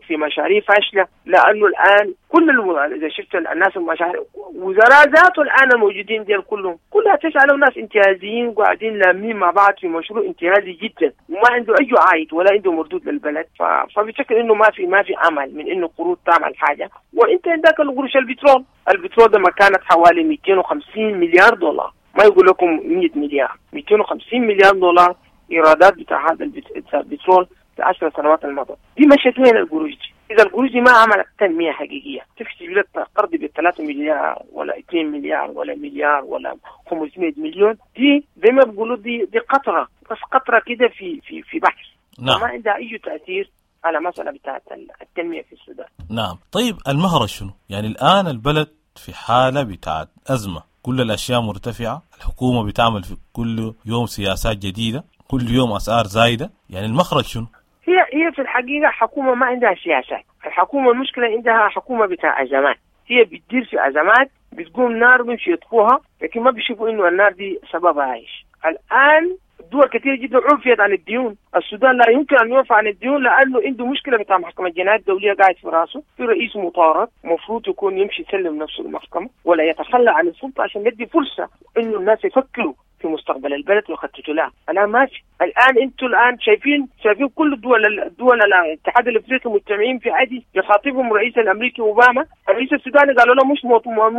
في مشاريع فاشلة، لانه الان كل الم... اذا شفت الناس المشاريع وزراء ذاته الان الموجودين ديال كلهم كلها تسألوا ناس انتهازيين وقاعدين لامين مع بعض في مشروع انتهازي جدا وما عنده اي عائد ولا عنده مردود للبلد. ف... فبشكل انه ما في ما في امل من انه قروض تعمل حاجة. وانت عندك القروش البترول، البترول ده ما كانت حوالي مئتين وخمسين مليار دولار، ما يقول لكم مئة مليار، مئتين وخمسين مليار دولار ايرادات بتاع هذا البترول في عشر سنوات الماضية. دي مشت وين القروش دي؟ إذا القروش دي ما عملت تنمية حقيقية، تكتب لك قرض بالثلاثة مليار ولا اثنين مليار ولا مليار ولا خمسمائة مليون، دي زي ما بيقولوا دي دي قطرة، بس قطرة كده في في في بحر. نعم. ما عندها أي تأثير على مسألة بتاعت التنمية في السودان. نعم. طيب المهرة شنو؟ يعني الآن البلد في حالة بتاعت أزمة، كل الأشياء مرتفعة، الحكومة بتعمل في كل يوم سياسات جديدة، كل يوم أسعار زايدة، يعني المخرج شنو؟ هي هي في الحقيقة حكومة ما عندها سياسات، الحكومة المشكلة عندها حكومة بتاع أزمات، هي بتدير في أزمات، بتقوم نار بيمشي يطفوها، لكن ما بيشوفوا إنه النار دي سببها إيش. الآن دول كثير جدا عفيت عن الديون، السودان لا يمكن أن يعفى عن الديون لأنه عنده مشكلة بتاع محكمة الجنايات الدولية قاعد في راسه، في رئيس مطارد مفروض يكون يمشي يسلم نفسه المحكمة ولا يتخلى عن السلطة عشان يدي فرصة إنه الناس يفكروا في مستقبل البلد ويخططوا لها. الآن ماشي، الآن أنتم الآن شايفين شايفين كل الدول الدول الاتحاد الأفريقي مجتمعين في عادي يخاطبهم الرئيس الأمريكي أوباما، الرئيس السوداني قالوا له مش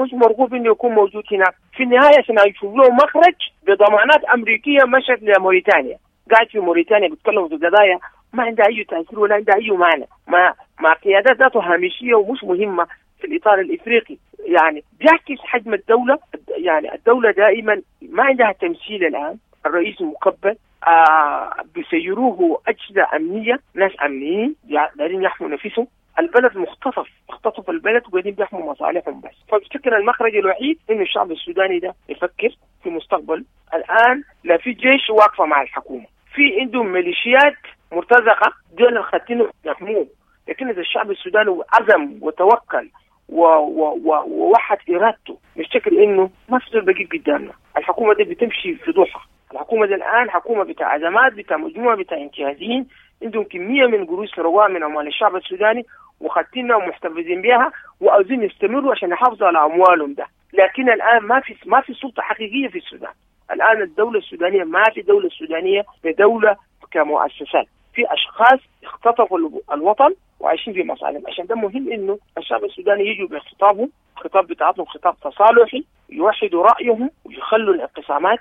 مش مرغوب إنه يكون موجود هناك. في النهاية عشان يشوف له مخرج بضمانات أمريكية مشت لموريتانيا، قاعد في موريتانيا بيتكلموا في قضايا ما عندها أي تأثير ولا عندها أي معنى، مع مع قيادات ذاته هامشية ومش مهمة في الإطار الإفريقي. يعني بيعكس حجم الدولة، يعني الدولة دائما ما عندها تمثيل. الآن الرئيس مكبل، آه بيسيروه أجهزة أمنية، ناس أمنيين دايرين يحموا نفسهم، البلد مختطف، اختطف البلد وقاعدين بيحموا مصالحهم بس. فبفتكر المخرج الوحيد انه الشعب السوداني ده يفكر في مستقبل. الان لا في جيش واقفة مع الحكومة، في عندهم ميليشيات مرتزقة دول الخاتين يحموه، لكن اذا الشعب السوداني عزم وتوكل ووحد ارادته نفتكر انه ما في زول بقيف قدامنا. الحكومة دي بتمشي في ضحى، الحكومة دي الان حكومة بتاع ازمات، بتاع مجموعة بتاع انتهازيين عندهم كمية من قروش سرقوها من اموال الشعب السوداني وخاتينها ومحتفظين بها وعاوزين يستمروا عشان يحافظوا على اموالهم ده. لكن الان ما في ما في سلطة حقيقية في السودان. الان الدولة السودانية ما في دولة سودانيه بدولة كمؤسسات، في اشخاص اختطفوا الوطن وعايشين في مصالحهم. عشان ده مهم انه الشعب السوداني يجوا بخطابهم، خطاب بتاعتهم خطاب تصالحي، يوحدوا رايهم ويخلوا الانقسامات،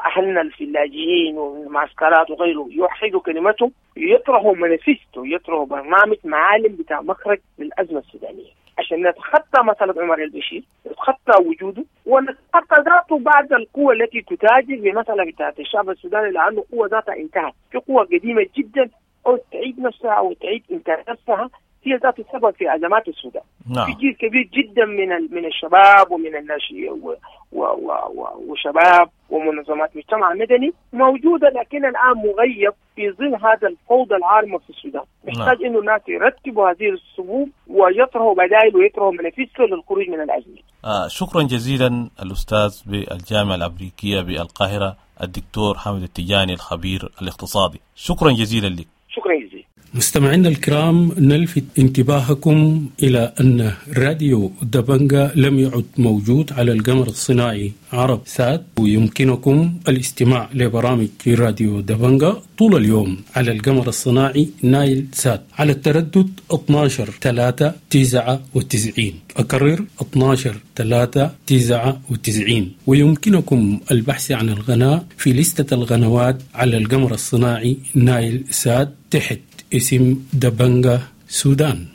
اهلنا في اللاجئين والمعسكرات وغيره يوحدوا كلمتهم، يطرحوا مانيفستو، يطرحوا برنامج معالم بتاع مخرج للازمة السودانية عشان نتخطى مسألة عمر البشير، نتخطى وجوده ونتخطى ذاته بعد القوة التي تتاجر بمسألة بتاعت الشعب السوداني، لأنه قوة ذاتها انتهت، في قوة قديمة جدا أو تعيد نفسها أو تعيد إنتاج نفسها، هي ذات السبب في أزمات السودان. نعم. في جيل كبير جدا من من الشباب ومن الناشئين و و و وشباب ومنظمات مجتمع مدني موجودة، لكن الآن مغيب في ظل هذا الفوضى العارمة في السودان. محتاج نعم. إنه الناس يرتبوا هذه الصفوف ويطرحوا بدائل ويطرحوا منافسه للخروج من الأزمة. آه شكرا جزيلا الأستاذ بالجامعة الأمريكية بالقاهرة الدكتور حامد التجاني الخبير الاقتصادي، شكرا جزيلا لك. شكرا جزيلا. مستمعينا الكرام، نلفت انتباهكم إلى أن راديو دبنجا لم يعد موجود على القمر الصناعي عرب سات، ويمكنكم الاستماع لبرامج راديو دبنجا طول اليوم على القمر الصناعي نايل سات على التردد اثنا عشر ثلاثة تسعة وتسعين، أكرر اثنا عشر ثلاثة تسعة وتسعين. ويمكنكم البحث عن القناة في لستة القنوات على القمر الصناعي نايل سات تحت اسم دبنجا سودان.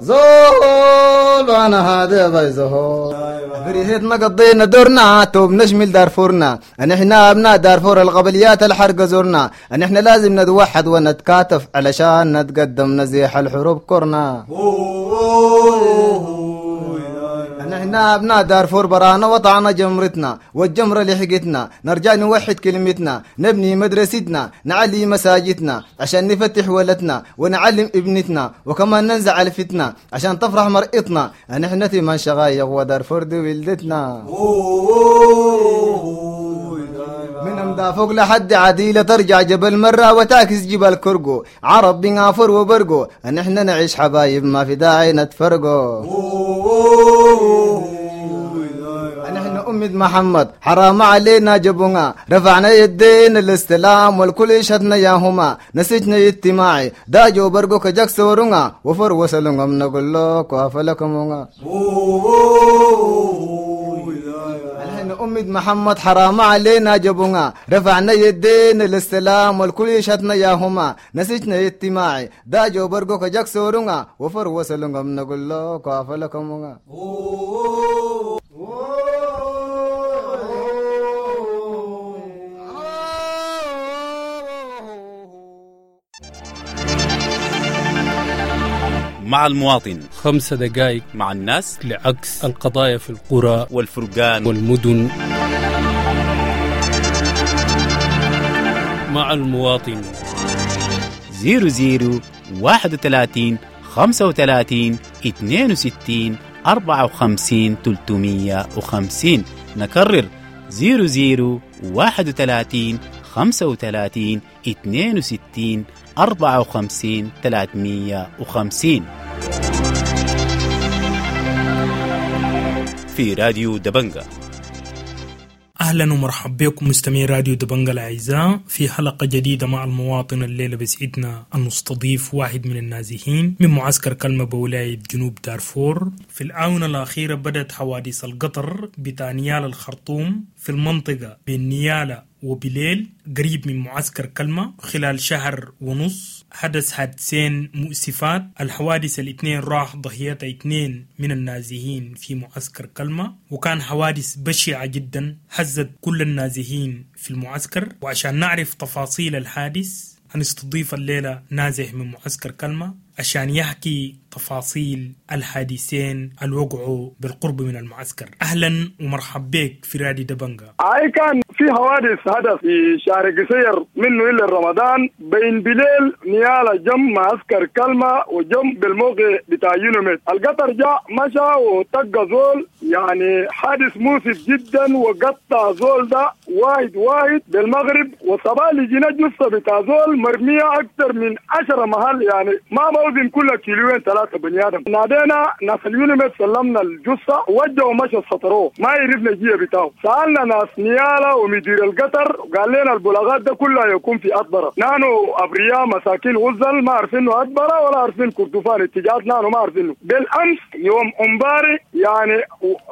زول انا هذا بيزهو بريهتنا قضينا دورنا توب نشمل دارفورنا، نحن ابناء دارفور القبليات الحرق زورنا، نحن لازم نتوحد ونتكاتف علشان نتقدم نزيح الحروب كورنا. نحن أبناء دارفور برانا وطعنا جمرتنا والجمرة لحقتنا، نرجع نوحد كلمتنا، نبني مدرستنا، نعلي مساجدنا عشان نفتح ولدنا ونعلم ابنتنا، وكمان ننزع الفتنة عشان تفرح مرئتنا. نحن ثمان شغايق ودارفور دي ولدتنا، من أمدا فوق لحد عديلة ترجع جبل مرة وتعكس جبل كرقو، عرب بنغافر وبرقو، نحن نعيش حبايب ما في داعي نتفرقو. نحن أمة محمد حرام علينا جبونا، رفعنا يدين الاستلام والكل يشهدنا ياهما، نسجنا اجتماعي داجو برقو كجاك سورونا، وفر وصلونا نقول لك وافلكم. أمة محمد حرام علينا جبونا، رفعنا يدين الاستلام والكل يشهدنا ياهما، نسجنا اجتماعي داجو برقو كجاك سورونا، وفر وصلونا نقول لك وافلكم. مع المواطن خمسة دقائق مع الناس لعكس القضايا في القرى والفرقان والمدن. مع المواطن زيرو زيرو واحد وثلاثين خمسة وثلاثين اثنين وستين أربعة وخمسين ثلاثمية وخمسين. نكرر زيرو زيرو واحد وثلاثين خمسة وثلاثين اثنين وستين أربعة وخمسين ثلاثمية وخمسين في راديو دبنجا. أهلا ومرحبا بكم مستمعي راديو دبنجا الأعزاء في حلقة جديدة مع المواطن. الليلة بسعدنا أن نستضيف واحد من النازحين من معسكر كلمة بولاية جنوب دارفور. في الآونة الأخيرة بدأت حوادث القطر بتاع نيالا الخرطوم في المنطقة بين نيالا وبليل قريب من معسكر كلمة. خلال شهر ونص حدث حادثين مؤسفات. الحوادث الاثنين راح ضحيتها اثنين من النازحين في معسكر كلمة، وكان حوادث بشعة جدا هزت كل النازحين في المعسكر. وعشان نعرف تفاصيل الحادث هنستضيف الليلة نازح من معسكر كلمة عشان يحكي تفاصيل الحادثين الوقعوا بالقرب من المعسكر. أهلا ومرحب بك في راديو دبنجا. أي كان في حوادث حدث في شهر قصير منه إلى رمضان بين بليل نيالا جم معسكر كلمة وجم بالموقع بتاع يونيميد. القطر جاء مشى وطق زول، يعني حادث مؤسف جدا، وقطع زول ده واحد واحد بالمغرب. وصباح لجينا جثة بتاع زول مرمية أكثر من عشرة محل، يعني ما موزن كل كيلوين ثلاثة بني آدم. نادينا ناس اليونيميد سلمنا الجثة وجهوا مشى سطروه، ما عرفنا الجيه بتاعه. سألنا ناس نيالا ومدير القطر قال لنا البلاغات ده كلها يكون في أطبرة. نحن أبرياء مساكين غزل ما عارفينه أطبرة ولا عارفين كردفان اتجاهات، نحن ما عارفينه. بالأمس يوم أمباري يعني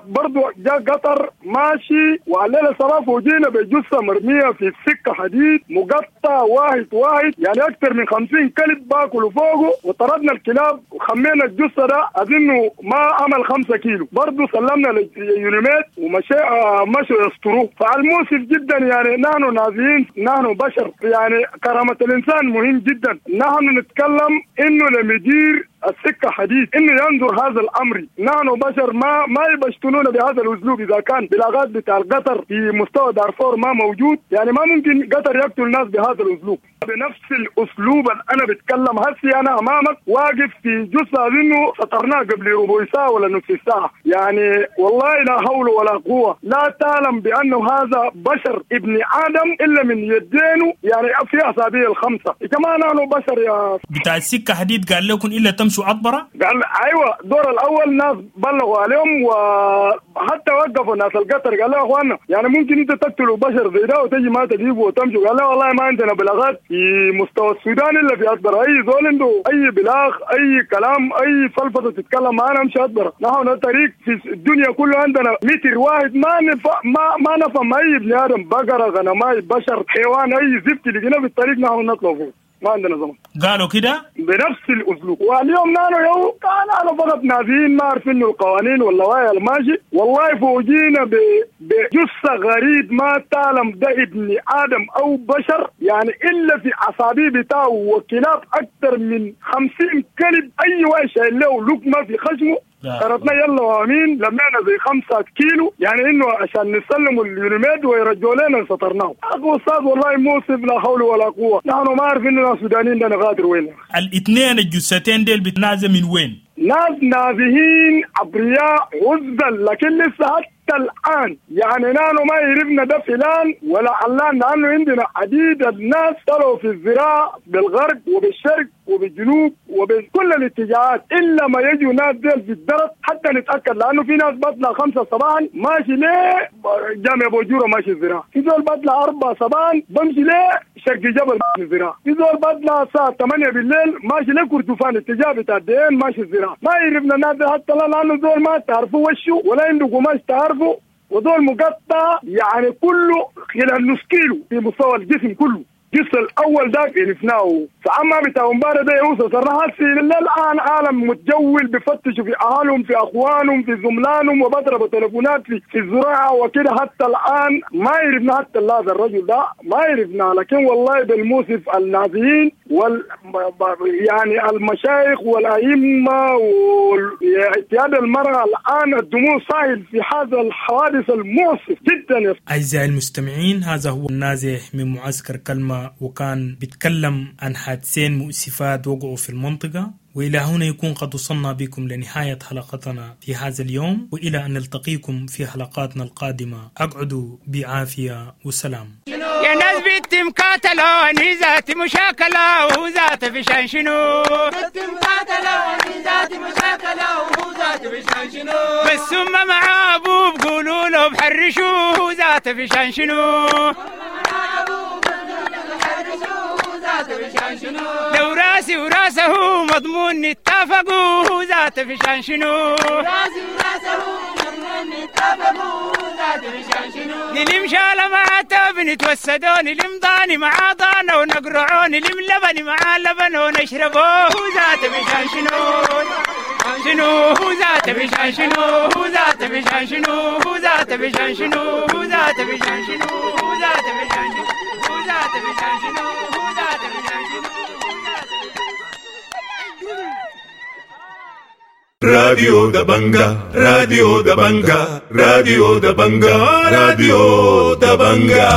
برضو جاء قطر ماشي وعلينا صراف وجينا بجثة مرمية في السكة حديد مقطع واحد واحد، يعني أكثر من خمسين كلب باكلوا فوقه، وطردنا الكلاب وخمينا الجثة ده أظنه ما عمل خمسة كيلو. برضو سلمنا لليونيميد ومشي مشوا يسطروه. فالمؤسف جدا يعني نحن نازيين، نحن بشر، يعني كرامة الإنسان مهم جدا. نحن نتكلم إنه لمدير السكة حديد إنه ينظر هذا الأمر. نحن بشر ما ما يبشتنون بهذا الأسلوب. إذا كان بلاغات بتاع القطر في مستوى دارفور ما موجود، يعني ما ممكن قطر يقتل الناس بهذا الأسلوب، بنفس الأسلوب اللي أنا بتكلم هسي. أنا أمامك واقف في جثة إنه سطرناه قبل ربع ساعة ولا نصف ساعة، يعني والله لا حول ولا قوة. لا تعلم بأنه هذا بشر ابن آدم إلا من يدينه، يعني في أصابعه الخمسة. يا جماعة نحن بشر يا بتاع السكة حديد. قال لكم إلا تمشوا عطبرة؟ قال أيوة. دور الأول ناس بلغوا عليهم وحتى وقفوا ناس القطر، قال له يا أخوانا يعني ممكن أنت تقتلوا بشر زي ده وتجي ما تجيبه وتمشوا. قال له والله ما عندنا بلاغات في مستوى السودان إلا في عطبرة. أي زول عنده أي بلاغ أي كلام أي فلفظة تتكلم معنا امشي عطبرة. نحن الطريق في الدنيا كله عندنا متر واحد ما نف... ما ما نفهم أي ابن آدم، بقرة غنماي بشر حيوان أي زفت اللي في الطريق نحن نطلع فوق، ما عندنا زمن. قالوا كده بنفس الاسلوب. واليوم نانو يو كان انا فقط نازين ما عارفين القوانين واللوائح الماشي. والله فوجينا ب... بجثة غريب ما تعلم ده ابن ادم او بشر، يعني الا في اصابع بتاعه وكلاب اكثر من خمسين كلب، اي واحد شايل له لقمة في خشمه. قربنا يلا وامين لمعنا زي خمسة كيلو، يعني انه عشان نسلموا اليونيميد ويرجعوا لنا سطرناه. اخو استاذ والله موصف لا حول ولا قوة. نحن ما عارفين اننا السودانيين ده نغادر وين. الاثنين الجثتين ديل بتنازل من وين؟ ناس نازهين ابرياء عزل، لكن لسه حتى الآن يعني نحن ما يعرفنا ده فلان ولا علان، لأنه عندنا عديد الناس طلعوا في الزراعة بالغرب وبالشرق وبالجنوب وبكل الاتجاهات، إلا ما يجوا ناس ديل في الدرب حتى نتأكد، لأنه في ناس بطلع خمسة صباحا ماشي ليه جامع بوجورة ماشي الزراعة، في زول بطلع أربعة صباحا بمشي ليه شرق جبل ماشي الزراعة، في زول بطلع الساعة ثمانية بالليل ماشي ليه كردفان اتجاه بتاع الدين ماشي الزراعة. ما يعرفنا الناس دي حتى لأنه زول ما تعرفوا وشه ولا عنده قماش تعرفه، ودول مقطع يعني كله خلال نص كيلو في مستوى الجسم كله. الجسم الاول ده عرفناه. فاما بتاع امبارح ده يوصل صراحة الان عالم متجول بفتشوا في اهالهم في اخوانهم في زملانهم وبضربوا تليفونات في, في الزراعة وكده. حتى الان ما عرفنا حتى هذا الرجل ده ما عرفنا، لكن والله بالموسف النازيين وال يعني المشايخ والائمة واتحاد المراة الان الدموع سايل في هذا الحوادث المؤسف جدا. اعزائي المستمعين، هذا هو النازح من معسكر كلمة، وكان بيتكلم عن حادثين مؤسفات وقعوا في المنطقة. وإلى هنا يكون قد وصلنا بكم لنهاية حلقتنا في هذا اليوم، وإلى أن نلتقيكم في حلقاتنا القادمة. أقعدوا بعافية وسلام. يا ناس بنت مقاتلة ذات مشاكلة وذات فشان شنو، بنت مقاتلة ذات مشاكلة وذات فشان شنو، بس هم مع أبوه بقولوا له بحرشوه ذات فشان شنو، لو راسي وراسه مضمون اتفقوا ذات فشان شنو، راسي وراسه مضمون اتفقوا ذات فشان شنو، نلم شالة مع تاب نتوسدون، نلم ضاني مع ضانة ونقرعون، نلم لبن مع لبن ونشربوه ذات فشان شنو، شنو ذات ذات بشان شنو هو ذات بشان شنو هو ذات بشان شنو هو ذات بشان شنو هو ذات بشان شنو هو ذات بشان شنو هو ذات بشان شنو. راديو دبنجا، راديو دبنجا، راديو دبنجا، راديو دبنجا.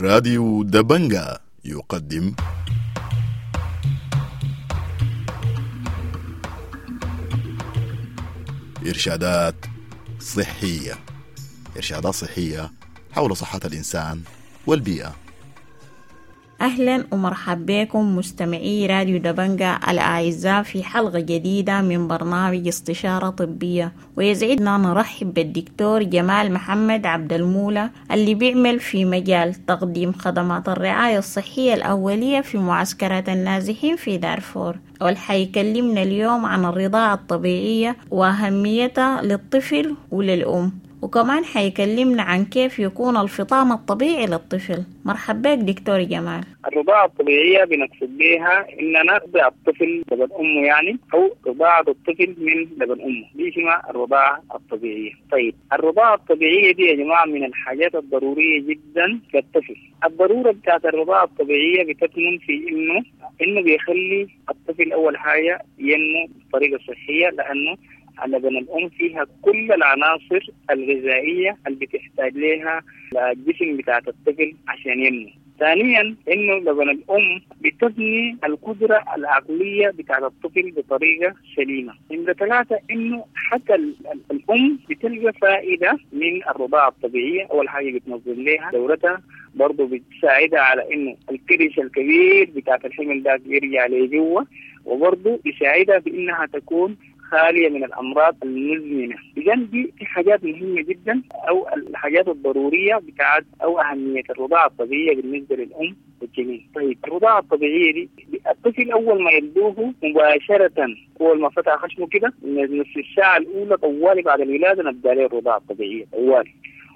راديو دبنجا يقدم إرشادات صحية. إرشادات صحية حول صحة الإنسان والبيئة. أهلا ومرحبا بكم مستمعي راديو دبنجا الأعزاء في حلقة جديدة من برنامج استشارة طبية، ويسعدنا نرحب بالدكتور جمال محمد عبد المولى اللي بيعمل في مجال تقديم خدمات الرعاية الصحية الأولية في معسكرات النازحين في دارفور، والحيكلمنا اليوم عن الرضاعة الطبيعية وأهميتها للطفل وللأم، وكمان حيكلمنا عن كيف يكون الفطام الطبيعي للطفل. مرحبا بك دكتور جمال. الرضاعة الطبيعية بنقصد بها إن نرضع الطفل لبن أمه، يعني أو رضاعة الطفل من لبن أمه، دي اسمها الرضاعة الطبيعية. طيب الرضاعة الطبيعية دي يا جماعة من الحاجات الضرورية جدا للطفل. الضرورة بتاعت الرضاعة الطبيعية بتكمن في إنه إنه بيخلي الطفل أول حاجة ينمو بطريقة صحية، لأنه لبن الأم فيها كل العناصر الغذائية اللي بتحتاج لها الجسم بتاعت الطفل عشان ينمو. ثانيا إنه لبن الأم بتبني القدرة العقلية بتاعت الطفل بطريقة سليمة. نمرة ثلاثة إنه حتى الأم بتلقى فائدة من الرضاعة الطبيعية. أول حاجة بتنظم لها دورتها، برضو بتساعدها على إنه الكرش الكبير بتاعت الحمل ده يرجع لجوه، وبرضو بيساعدها بإنها تكون خالية من الأمراض المزمنة. إذن دي حاجات مهمة جدا، أو الحاجات الضرورية بتاعت أو أهمية الرضاعة الطبيعية بالنسبة للأم والجنين. طيب الرضاعة الطبيعية دي الطفل أول ما يلدوه مباشرة، أول ما فتح خشمه كده من نص الساعة الأولى طوالي بعد الولادة نبدأ له الرضاعة الطبيعية طوالي،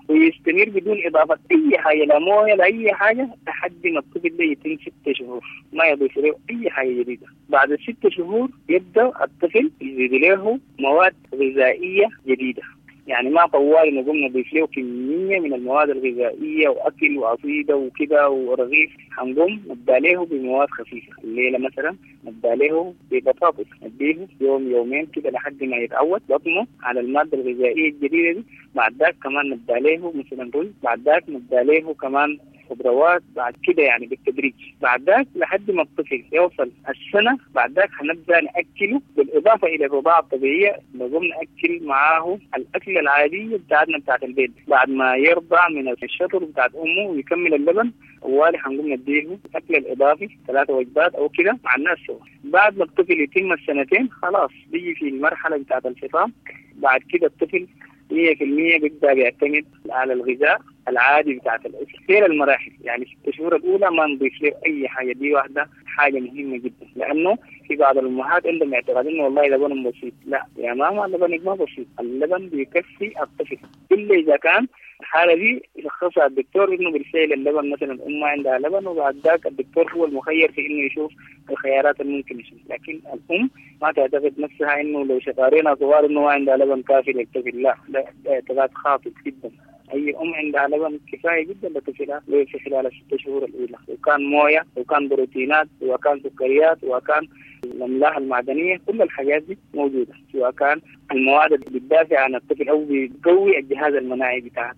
ويستمر بدون إضافة أي حاجة، لا موية لا أي حاجة، لحد ما الطفل ده يتم ستة شهور، ما يضيف له أي حاجة جديدة. بعد الست شهور يبدأ الطفل يزيد له مواد غذائية جديدة، يعني ما طوالي نقوم نضيف له كمية من المواد الغذائية وأكل وعصيدة وكده ورغيف، هنقوم نبدأ له بمواد خفيفة. الليلة مثلا نبدأ له ببطاطس، نديه يوم يومين كده لحد ما يتعود بطنه على المادة الغذائية الجديدة دي. بعد ذاك كمان نبدأ له مثلا رز، بعد ذاك نبدأ له كمان خضروات، بعد كده يعني بالتدريج. بعد ذاك لحد ما الطفل يوصل السنة، بعد ذاك هنبدأ نأكله بالإضافة إلى الرضاعة الطبيعية، نقوم نأكل معاه الأكل العادية بتاعتنا بتاعت البيت. بعد ما يرضع من الشطر بتاعت أمه ويكمل اللبن، أولي هنقوم نديه الأكل الإضافي ثلاثة وجبات أو كده مع الناس سوا. بعد ما الطفل يتم السنتين خلاص بيجي في المرحلة بتاعت الفطام. بعد كده الطفل مية في المية بيبدأ بيعتمد على الغذاء العادي بتاعت الأسرة. غير المراحل، يعني الست شهور الأولى ما نضيف له أي حاجة، دي واحدة حاجة مهمة جدا، لأنه في بعض الأمهات عندهم اعتقاد إنه والله لبن بسيط. لا يا ماما، اللبن ما بسيط، اللبن بيكفي الطفل، إلا إذا كان الحالة دي يشخصها الدكتور إنه بالفعل اللبن مثلا الأم ما عندها لبن، وبعد ذاك الدكتور هو المخير في إنه يشوف الخيارات الممكنة. لكن الأم ما تعتقد نفسها إنه لو شغارينها صغار إنه ما عندها لبن كافي للطفل، لا، ده اعتقاد خاطئ جدا. أي أم عندها لبن كفاية جدا لطفلها في خلال الست شهور الأولى، وكان موية وكان بروتينات وكان سكريات وكان الأملاح المعدنية، كل الحاجات دي موجودة، سواء كان المواد اللي بتدافع عن الطفل أو بتقوي الجهاز المناعي بتاعه.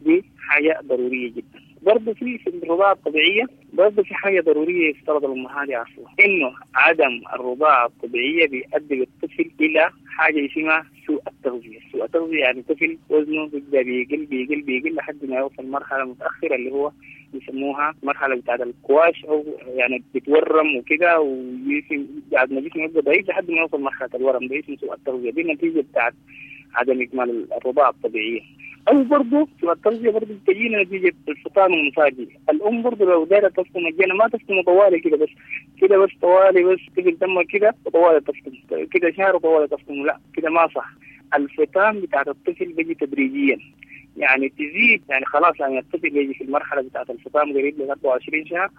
دي حاجة ضرورية جدا. برضه في في الرضاعة الطبيعية برضه في حاجة ضرورية يفترض الأمهات يعرفوها، إنه عدم الرضاعة الطبيعية بيؤدي بالطفل إلى حاجة اسمها سوء التغذية. سوء التغذية يعني طفل وزنه بيبدأ بيقل بيقل بيقل لحد ما يوصل مرحلة متأخرة اللي هو بيسموها مرحلة بتاعت الكواش، أو يعني بتورم وكده، وجسم بعد ما جسمه يبقى ضعيف لحد ما يوصل مرحلة الورم، ده اسمه سوء التغذية. دي النتيجة بتاعت عدم إكمال الرضاعة الطبيعية. أو برضه سوء التغذية برضه بتجينا نتيجة الفطام المفاجئ. الأم برضه لو دايرة تفطم الجنة ما تفطم طوالي كده بس كده بس طوالي بس طفل تم كده وطوالي تفطم كده شهر وطوالي تفطم، لا كده ما صح. الفطام بتاعت الطفل بيجي تدريجيا، يعني تزيد، يعني خلاص يعني الطفل يجي في المرحلة بتاعت الفطام قريب ل أربعة وعشرين شهر،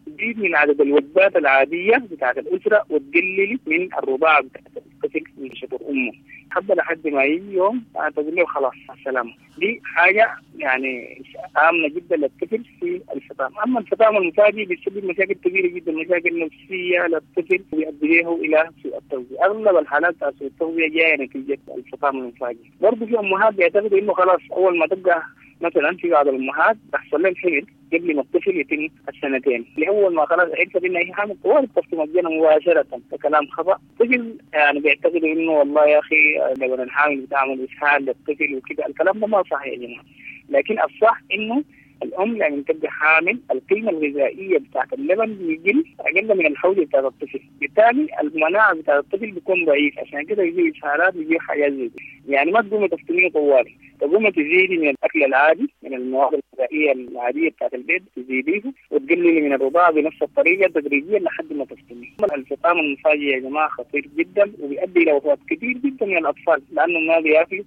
تزيد من عدد الوجبات العادية بتاعت الأسرة وتقلل من الرضاعة بتاعت الطفل من شطر امه حبه لحد ما يجي يوم تقول له خلاص السلامة. دي حاجة يعني امنه جدا للطفل في الفطام. اما الفطام المفاجئ بيسبب مشاكل كبيرة جدا، مشاكل نفسية للطفل ويؤدي له الى سوء التغذية. اغلب الحالات بتاع سوء التغذية جاية نتيجة الفطام المفاجئ. برضه في امهات بيعتقدوا انه خلاص اول ما تبقى مثلا في بعض الامهات تحصل لهم حمل قبل ما الطفل يتم السنتين، اللي اول ما خلاص عرفت انها هي حامل طوال تفطم الجنة مباشرة، ده كلام خطا. الطفل يعني بيعتقدوا انه والله يا اخي لبن الحامل بتعمل اسهال للطفل وكده، الكلام ده ما صح يا جماعة. لكن الصح انه الام لما تبقى حامل القيمة الغذائية بتاعت اللبن بيقل اقل من الحوجه بتاعت الطفل، بالتالي المناعة بتاعت الطفل بيكون ضعيف، عشان كده يجي اسهالات ويجي حاجات زي دي. يعني ما تقومي تفطميه طوالي، تقومي تزيدي من الاكل العادي من المواد الغذائية العادية بتاعت البيت تزيديه وتقللي من الرضاعة بنفس الطريقة تدريجيا لحد ما تفطميه. الفطام المفاجئ يا جماعة خطير جدا وبيؤدي الى وفاه كثير جدا من الاطفال، لانه ما بياكلوا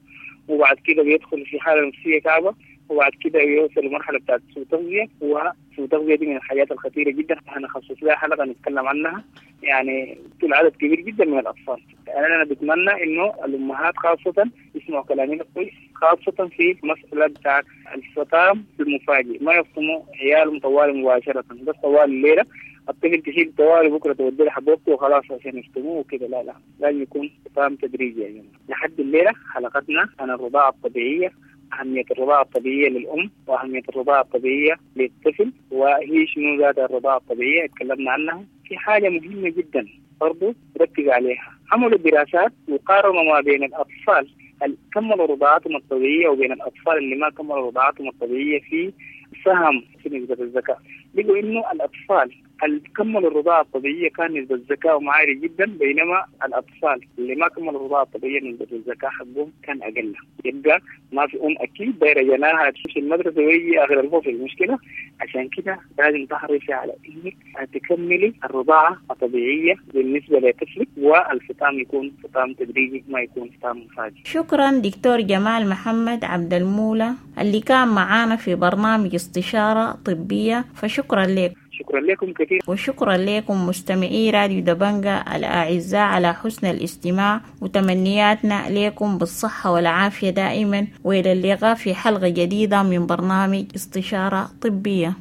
وبعد كده بيدخل في حاله نفسية كعبه، وبعد كده يوصل لمرحلة بتاعت سوء تغذية، وسوء تغذية دي من الحاجات الخطيرة جدا، هنخصص لها حلقة نتكلم عنها. يعني طول عدد كبير جدا من الاطفال. يعني انا بتمنى انه الامهات خاصة يسمعوا كلامنا كويس، خاصة في مسالة بتاعت الفطام المفاجئ، ما يفطموا عيالهم طوال مباشرة، بس طوال الليلة الطفل تشيل طوال بكره تودي له حبوبته وخلاص عشان يفطموه وكده، لا لا لازم يكون فطام تدريجي يا جماعة. لحد الليلة حلقتنا عن الرضاعة الطبيعية، أهمية الرضاعة الطبيعية للأم وأهمية الرضاعة الطبيعية للطفل، وهي شنو ذات الرضاعة الطبيعية اتكلمنا عنها. في حاجة مهمة جدا برضو ركز عليها، عملوا دراسات وقارنوا ما بين الأطفال اللي كملوا رضاعتهم الطبيعية وبين الأطفال اللي ما كملوا رضاعتهم الطبيعية في سهم في نسبة الذكاء. لقوا إنه الأطفال اللي كملوا الرضاعة الطبيعية كان نسبة الذكاء عالية جدا، بينما الأطفال اللي ما كملوا الرضاعة الطبيعية نسبة الذكاء حقهم كان أقل. يبقى ما في أم أكيد دايرة جناها تمشي المدرسة ويجي آخر الفصل، المشكلة عشان كده لازم تحرصي على إنك تكملي الرضاعة الطبيعية بالنسبة لطفلك، والفطام يكون فطام تدريجي ما يكون فطام مفاجئ. شكرا دكتور جمال محمد عبد المولى اللي كان معانا في برنامج استشارة طبية، فشكرا لك. شكرا لكم كثير، وشكرا لكم مستمعي راديو دبنجة الأعزاء على حسن الاستماع، وتمنياتنا لكم بالصحة والعافية دائما، وإلى اللقاء في حلقة جديدة من برنامج استشارة طبية.